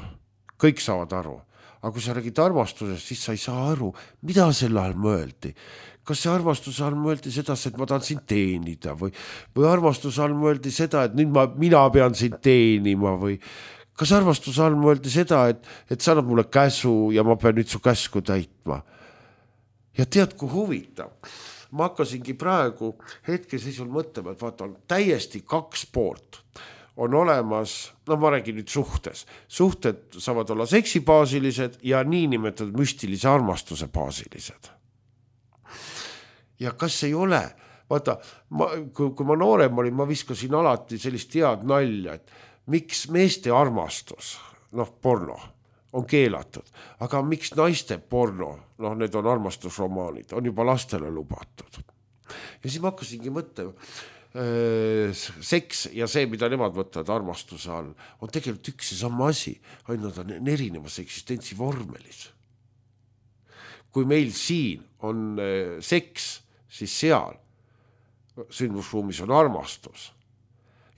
kõik saavad aru. Aga kui sa räägid armastusest, siis sa ei saa aru, mida selle all mõeldi. Kas see armastuse all mõeldi seda, et ma tahan sind teenida või armastuse all mõeldi seda, et nüüd mina pean sind teenima või kas armastuse all mõeldi seda, et sa annad mulle käsu ja ma pean nüüd su käsku täitma. Ja tead, kui huvitav. Ma hakkasingi praegu hetkeseisul mõtlema, et vaata, on täiesti 2 poolt. On olemas, ma räägin nüüd suhtes. Suhted saavad olla seksibaasilised ja niinimetatud müstilise armastuse baasilised. Ja kas ei ole vaata, kui ma noorem olin, ma viskasin alati sellist head nalja, et miks meeste armastus, noh, porno, on keelatud, aga miks naiste porno, noh, need on armastusromaanid, on juba lastele lubatud. Ja siis ma hakkasingi mõtlema, seks ja see, mida nemad võtavad armastuse all, on tegelikult üks ja sama asi, ainult on erinevas eksistentsi vormelis. Kui meil siin on seks, siis seal sündmusruumis on armastus.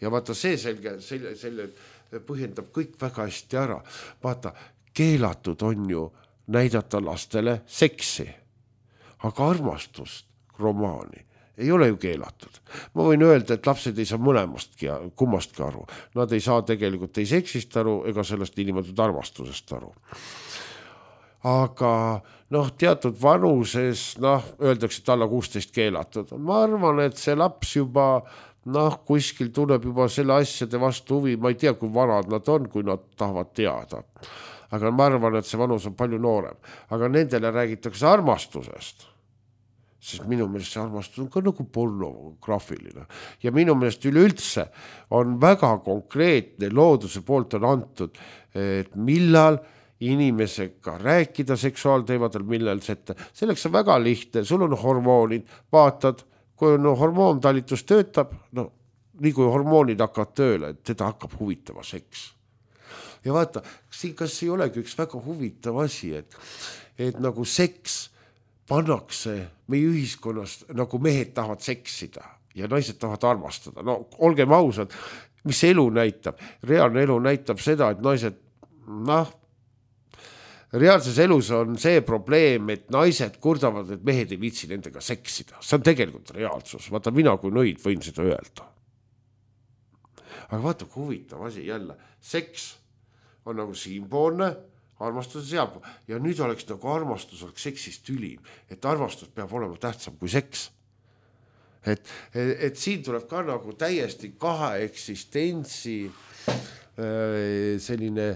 Ja vaata, see selle põhjendab kõik väga hästi ära. Vaata, keelatud on ju näidata lastele seksi, aga armastust, romaani ei ole ju keelatud. Ma võin öelda, et lapsed ei saa kummastki aru. Nad ei saa tegelikult ei seksist aru ega sellest niimoodi armastusest aru. Aga noh, teatud vanuses, noh, öeldakse, et alla 16 keelatud. Ma arvan, et see laps juba, noh, kuskil tuleb juba selle asjade vastu huvi. Ma ei tea, kui vanad nad on, kui nad tahavad teada. Aga ma arvan, et see vanus on palju noorem. Aga nendele räägitakse armastusest. Sest minu meelest see armastus on ka nagu pornograafiline. Ja minu meelest üleüldse on väga konkreetne looduse poolt on antud, et millal inimesega rääkida seksuaalteemadel, millal sette. Selleks on väga lihtne, sul on hormoonid, vaatad, kui on hormoontalitus töötab, no nii kui hormoonid hakkavad tööle, et teda hakkab huvitama seks. Ja vaata, kas ei olegi üks väga huvitav asi, et nagu seks pannakse meie ühiskonnas, nagu mehed tahavad seksida ja naised tahavad armastada. No olgem ausad, mis elu näitab? Reaalne elu näitab seda, et naised, noh, reaalses elus on see probleem, et naised kurdavad, et mehed ei viitsi nendega seksida. See on tegelikult reaalsus. Vaata, mina kui nõid võin seda öelda. Aga vaata, kui huvitav asi jälle. Seks on nagu siinpoolne, armastus seab. Ja nüüd oleks nagu armastus oleks seksist ülim, et armastus peab olema tähtsam kui seks. Et siin tuleb ka nagu täiesti kahe eksistentsi selline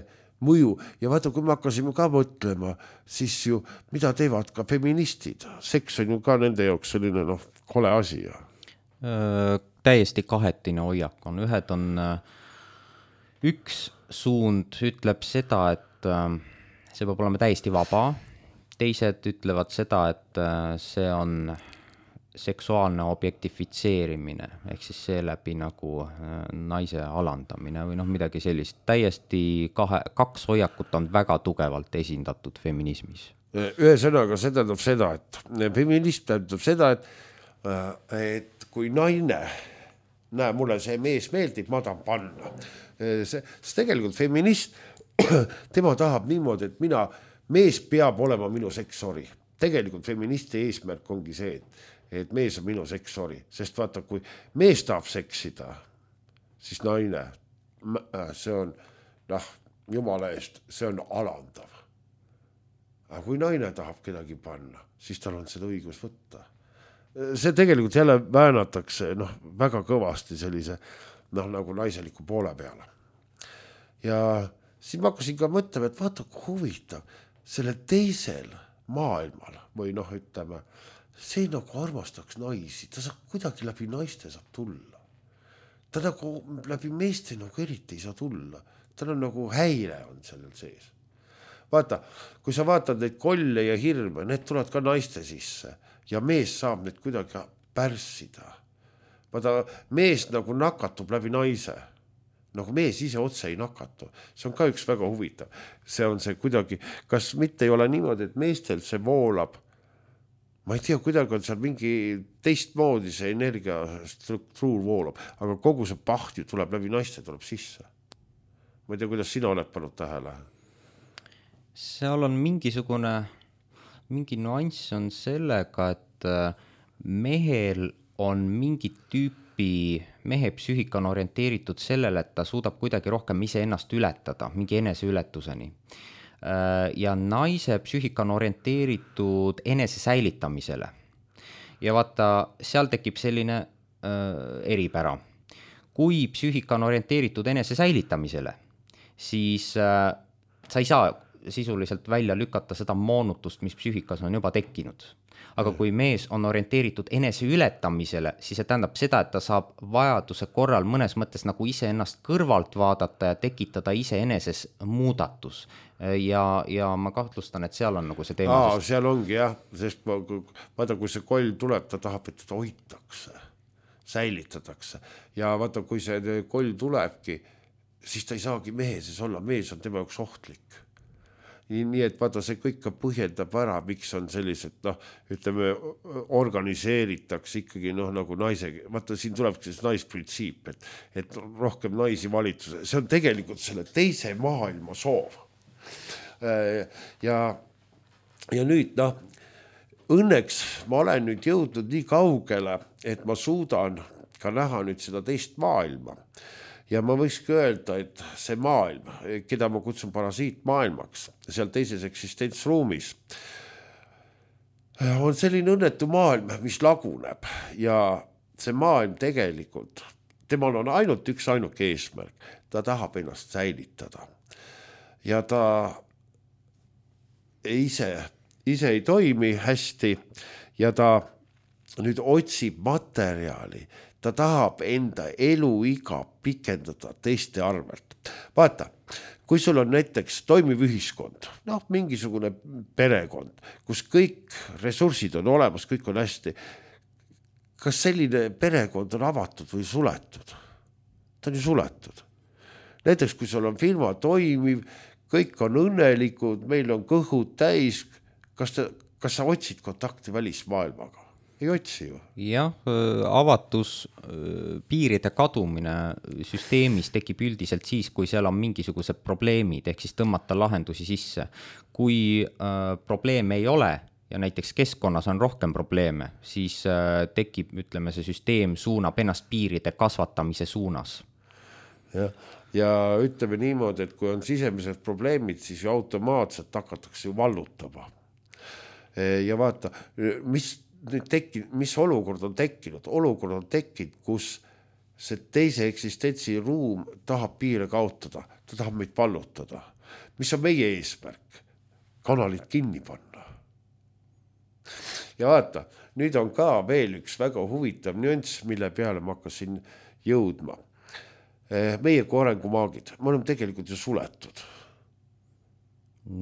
mõju. Ja vaata, kui me hakkasime ka mõtlema, siis ju, mida teevad ka feministid? Seks on ju ka nende jaoks selline, noh, kole asi. Täiesti kahetine hoiak on. Ühed on, üks suund ütleb seda, et see peab olema täiesti vaba. Teised ütlevad seda, et see on seksuaalne objektifitseerimine, ehk siis seeläbi nagu naise alandamine või noh, midagi sellist. Täiesti kaks hoiakut on väga tugevalt esindatud feminismis. Ühesõnaga, see tähendab seda, et feminism tähendab seda, et kui naine, näe, mulle see mees meeldib, ma tahan panna. Sest tegelikult feminist, tema tahab niimoodi, et mees peab olema minu seksori. Tegelikult feministi eesmärk ongi see, et mees on minu seksori. Sest vaata, kui mees tahab seksida, siis naine, see on, noh, jumala eest, see on alandav. Aga kui naine tahab kedagi panna, siis tal on seda õigus võtta. See tegelikult jälle väänatakse, noh, väga kõvasti sellise, noh, nagu naiseliku poole peale. Ja siis ma hakkasin ka mõtlema, et vaata, kui huvitav, selle teisel maailmal või noh, ütleme, see nagu armastaks naisi, ta saab kuidagi läbi naiste saab tulla. Ta nagu läbi meeste nagu eriti ei saa tulla. Tal on nagu häire on sellel sees. Vaata, kui sa vaatad neid kolle ja hirme, need tulevad ka naiste sisse ja mees saab need kuidagi pärssida. Vaata, mees nagu nakatub läbi naise. Nagu mees ise otse ei nakatu. See on ka üks väga huvitav. See on see kuidagi, kas mitte ei ole niimoodi, et meestel see voolab, ma ei tea, kuidagi on seal mingi teistmoodi see energiastruktuur voolab, aga kogu see paht ju tuleb läbi naiste, tuleb sisse. Ma ei tea, kuidas sina oled pannud tähele? Seal on mingi nuanss on sellega, et mehel on mingi mehe psüühika on orienteeritud sellele, et ta suudab kuidagi rohkem ise ennast ületada, mingi eneseületuseni. Ja naise psüühika on orienteeritud enese säilitamisele. Ja vaata, seal tekib selline eripära. Kui psüühika on orienteeritud enese säilitamisele, siis sa ei saa sisuliselt välja lükata seda moonutust, mis psüühikas on juba tekkinud. Aga kui mees on orienteeritud enese ületamisele, siis see tähendab seda, et ta saab vajaduse korral mõnes mõttes nagu ise ennast kõrvalt vaadata ja tekitada ise eneses muudatus. Ja ma kahtlustan, et seal on nagu see teema. Seal ongi jah, sest vaata, kui see koll tuleb, ta tahab, et teda hoitakse, säilitatakse. Ja vaata, kui see koll tulebki, siis ta ei saagi mehe sees olla, mees on tema jaoks ohtlik. Nii et vaata, see kõik põhjendab ära, miks on sellised, ütleme, organiseeritakse ikkagi nagu naisega. Vaata, siin tulebki see naisprintsiip, et rohkem naisi valitsuse. See on tegelikult selle teise maailma soov. Ja nüüd, õnneks ma olen nüüd jõudnud nii kaugele, et ma suudan ka näha nüüd seda teist maailma. Ja ma võikski öelda, et see maailm, keda ma kutsun parasiitmaailmaks, seal teises eksistentsruumis, on selline õnnetu maailm, mis laguneb. Ja see maailm tegelikult, temal on ainult üks ainuke eesmärk. Ta tahab ennast säilitada. Ja ta ise ei toimi hästi ja ta nüüd otsib materjali. Ta tahab enda eluiga pikendada teiste arvelt. Vaata, kui sul on näiteks toimiv ühiskond, mingisugune perekond, kus kõik ressursid on olemas, kõik on hästi. Kas selline perekond on avatud või suletud? Ta on ju suletud. Näiteks, kui sul on firma toimiv, kõik on õnnelikud, meil on kõhud täis, kas sa otsid kontakti välismaailmaga? Ei otsi ju. Jah, avatus, piiride kadumine süsteemis tekib üldiselt siis, kui seal on mingisugused probleemid, ehk siis tõmmata lahendusi sisse. Kui probleeme ei ole ja näiteks keskkonnas on rohkem probleeme, siis tekib, ütleme, see süsteem suunab ennast piiride kasvatamise suunas. Ja ütleme niimoodi, et kui on sisemised probleemid, siis ju automaatselt hakatakse ju vallutama. Ja vaata, mis olukord on tekkinud? Olukord on tekkinud, kus see teise eksistentsi ruum tahab piire kaotada. Ta tahab meid vallutada. Mis on meie eesmärk? Kanalid kinni panna. Ja vaata, nüüd on ka veel üks väga huvitav nüanss, mille peale ma hakkasin jõudma. Meie kui arengumaagid, me oleme tegelikult ju suletud.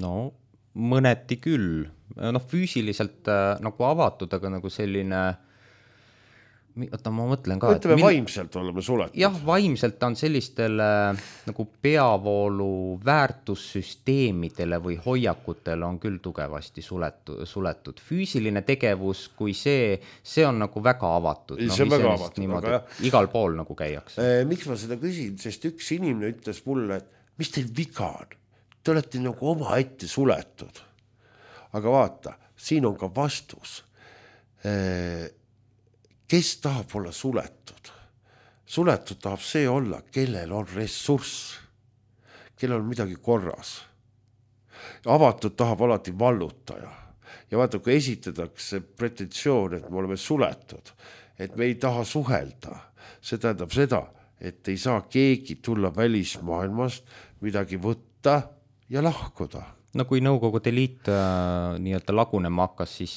No, mõneti küll. Füüsiliselt nagu avatud, aga nagu selline, ma mõtlen ka. Ütleme, vaimselt oleme suletud. Jah, vaimselt on sellistele nagu peavoolu väärtussüsteemidele või hoiakutele on küll tugevasti suletud. Füüsiline tegevus, kui see on nagu väga avatud. See on väga avatud. Niimoodi, igal pool nagu käiakse. Miks ma seda küsin? Sest üks inimene ütles mulle, et mis teil viga on? Te olete nagu oma ette suletud. Aga vaata, siin on ka vastus. Kes tahab olla suletud? Suletud tahab see olla, kellel on ressurss, kellel on midagi korras. Avatud tahab alati vallutaja. Ja vaata, kui esitatakse pretensioon, et me oleme suletud, et me ei taha suhelda, see tähendab seda, et ei saa keegi tulla välismaailmast midagi võtta ja lahkuda. No kui Nõukogude Liit nii-öelda lagunema hakkas, siis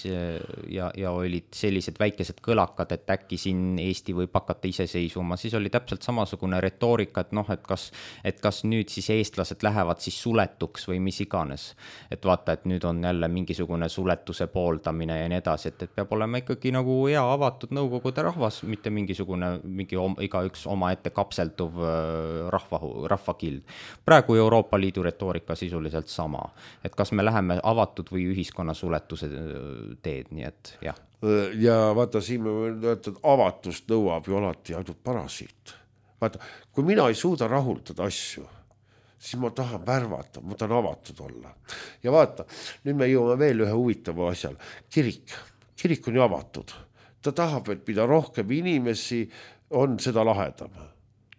ja olid sellised väikesed kõlakad, et äkki siin Eesti võib hakata iseseisvuma, siis oli täpselt samasugune retoorika, et kas nüüd siis eestlased lähevad siis suletuks või mis iganes. Et vaata, et nüüd on jälle mingisugune suletuse pooldamine ja nii edasi, et peab olema ikkagi nagu hea avatud Nõukogude rahvas, mitte mingi igaüks oma ette kapselduv rahvakild. Praegu Euroopa Liidu retoorika sisuliselt sama. Et kas me läheme avatud või ühiskonna suletuse teed, nii et jah. Ja vaata, siin me võime öelda, et avatust nõuab ju alati ainult parasiit. Vaata, kui mina ei suuda rahuldada asju, siis ma tahan värvata, ma tahan avatud olla. Ja vaata, nüüd me jõuame veel ühe huvitava asjal. Kirik on ju avatud. Ta tahab, et mida rohkem inimesi on, seda lahedam.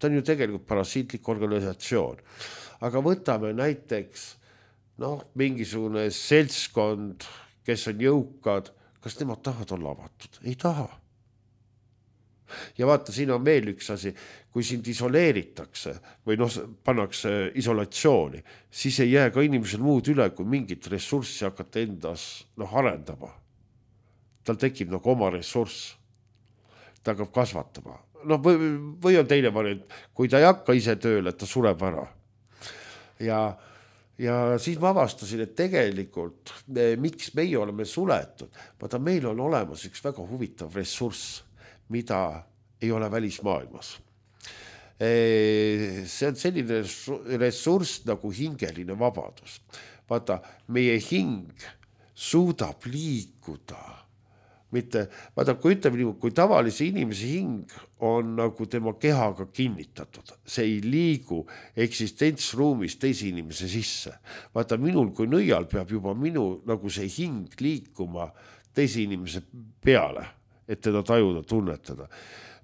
Ta on ju tegelikult parasiitlik organisatsioon. Aga võtame näiteks mingisugune seltskond, kes on jõukad, kas nemad tahavad olla avatud? Ei taha. ja vaata, siin on veel üks asi, kui sind isoleeritakse või pannakse isolatsiooni, siis ei jää ka inimesel muud üle, kui mingit ressurssi hakata endas arendama. Tal tekib oma ressurss, ta hakkab kasvatama. Või on teine variant, kui ta ei hakka ise tööle, et ta sureb ära. Ja siis ma avastasin, et tegelikult miks meie oleme suletud, vaata meil on olemas üks väga huvitav ressurss, mida ei ole välismaailmas. See on selline ressurss nagu hingeline vabadus. Vaata, meie hing suudab liikuda. Vaata, kui ütleme nii, kui tavalise inimese hing on nagu tema kehaga kinnitatud, see ei liigu eksistentsruumis teise inimese sisse. Vaata, minul kui nõial peab juba nagu see hing liikuma teise inimese peale, et teda tajuda, tunnetada.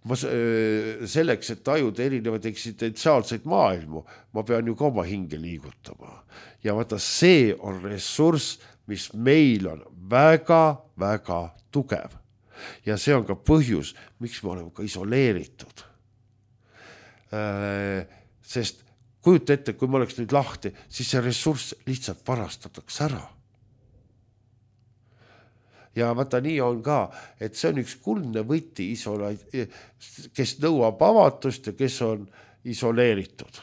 Selleks, et tajuda erinevaid eksistentsiaalseid maailmu, ma pean ju ka oma hinge liigutama. Ja vaata, see on ressurss, mis meil on väga, väga tugev. Ja see on ka põhjus, miks me oleme ka isoleeritud. Sest kujuta ette, kui ma oleks nüüd lahti, siis see ressurss lihtsalt varastatakse ära. Ja vaata, nii on ka, et see on üks kuldne võti, kes nõuab avatust ja kes on isoleeritud.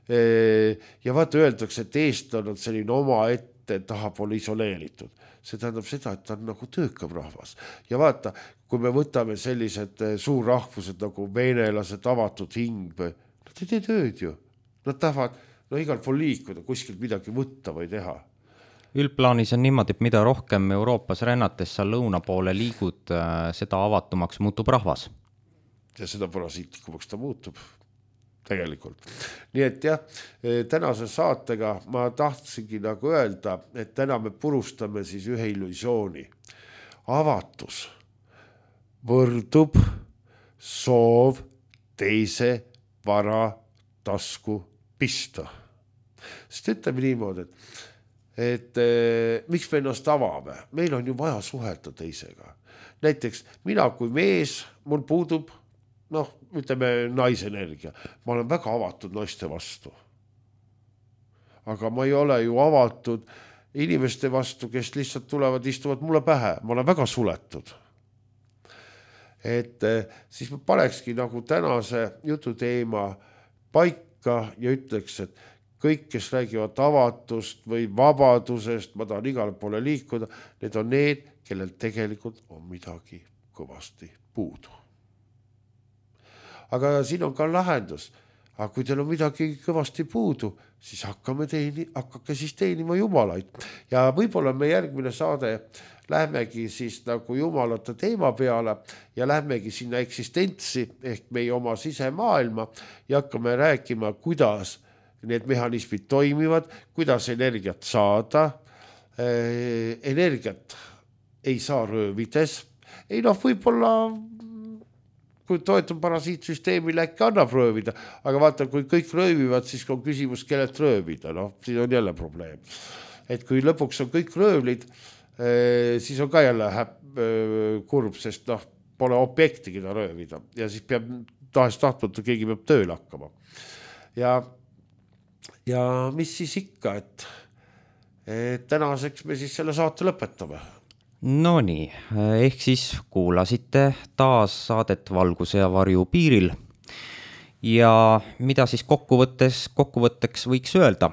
Ja vaata, öeldakse, et eestlane on selline oma ette taha pole isoleeritud. See tähendab seda, et ta on nagu töökam rahvas. Ja vaata, kui me võtame sellised suurrahvused nagu venelased, avatud hing, nad ei tee tööd ju. Nad tahavad igal pool liikuda, kuskilt midagi võtta või teha. Üldplaanis on niimoodi, et mida rohkem Euroopas rännates sa lõuna poole liigud, seda avatumaks muutub rahvas. Ja seda parasiitlikumaks ta muutub tegelikult. Nii et jah, tänase saatega ma tahtsingi nagu öelda, et täna me purustame siis ühe illusiooni. Avatus võrdub soov teise vara tasku pista. Sest ütleme niimoodi, et miks me ennast avame? Meil on ju vaja suhelda teisega. Näiteks mina kui mees, mul puudub, ütleme naisenergia. Ma olen väga avatud naiste vastu. Aga ma ei ole ju avatud inimeste vastu, kes lihtsalt tulevad, istuvad mulle pähe. Ma olen väga suletud. Et siis ma panekski nagu tänase jutu teema paika ja ütleks, et kõik, kes räägivad avatust või vabadusest, ma tahan igale poole liikuda, need on need, kellel tegelikult on midagi kõvasti puudu. Aga siin on ka lahendus. Aga kui teil on midagi kõvasti puudu, siis hakkake siis teenima jumalaid. Ja võib-olla me järgmine saade lähmegi siis nagu jumalate teema peale ja lähmegi sinna eksistentsi ehk meie oma sisemaailma ja hakkame rääkima, kuidas need mehhanismid toimivad, kuidas energiat saada. Energiat ei saa röövides. Võib-olla kui toetab parasiitsüsteemile, äkki annab röövida, aga vaata, kui kõik röövivad, siis on küsimus, kellelt röövida. Siin on jälle probleem. Et kui lõpuks on kõik röövlid, siis on ka jälle kurb, sest pole objekti, keda röövida. Ja siis peab tahtmata, keegi peab tööl hakkama. Ja mis siis ikka, et tänaseks me siis selle saate lõpetame. No nii, ehk siis kuulasite taas saadet Valguse ja varju piiril ja mida siis kokkuvõtteks võiks öelda.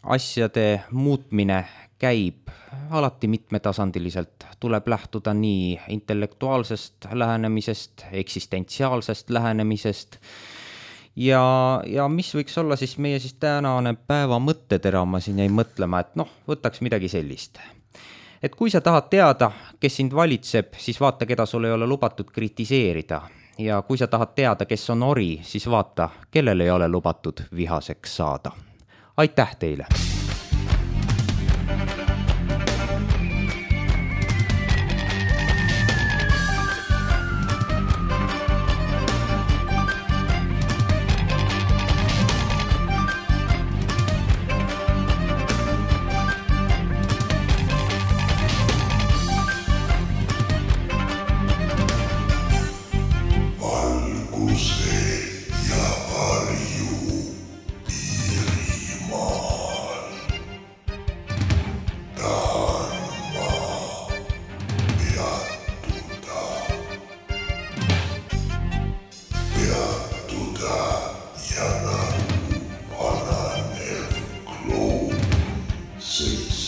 Asjade muutmine käib alati mitmetasandiliselt, tuleb lähtuda nii intellektuaalsest lähenemisest, eksistentsiaalsest lähenemisest ja mis võiks olla siis meie siis tänane päeva mõttetera, ma siin jäin mõtlema, et võtaks midagi sellist. Et kui sa tahad teada, kes sind valitseb, siis vaata, keda sul ei ole lubatud kritiseerida. Ja kui sa tahad teada, kes on ori, siis vaata, kellel ei ole lubatud vihaseks saada. Aitäh teile! sees.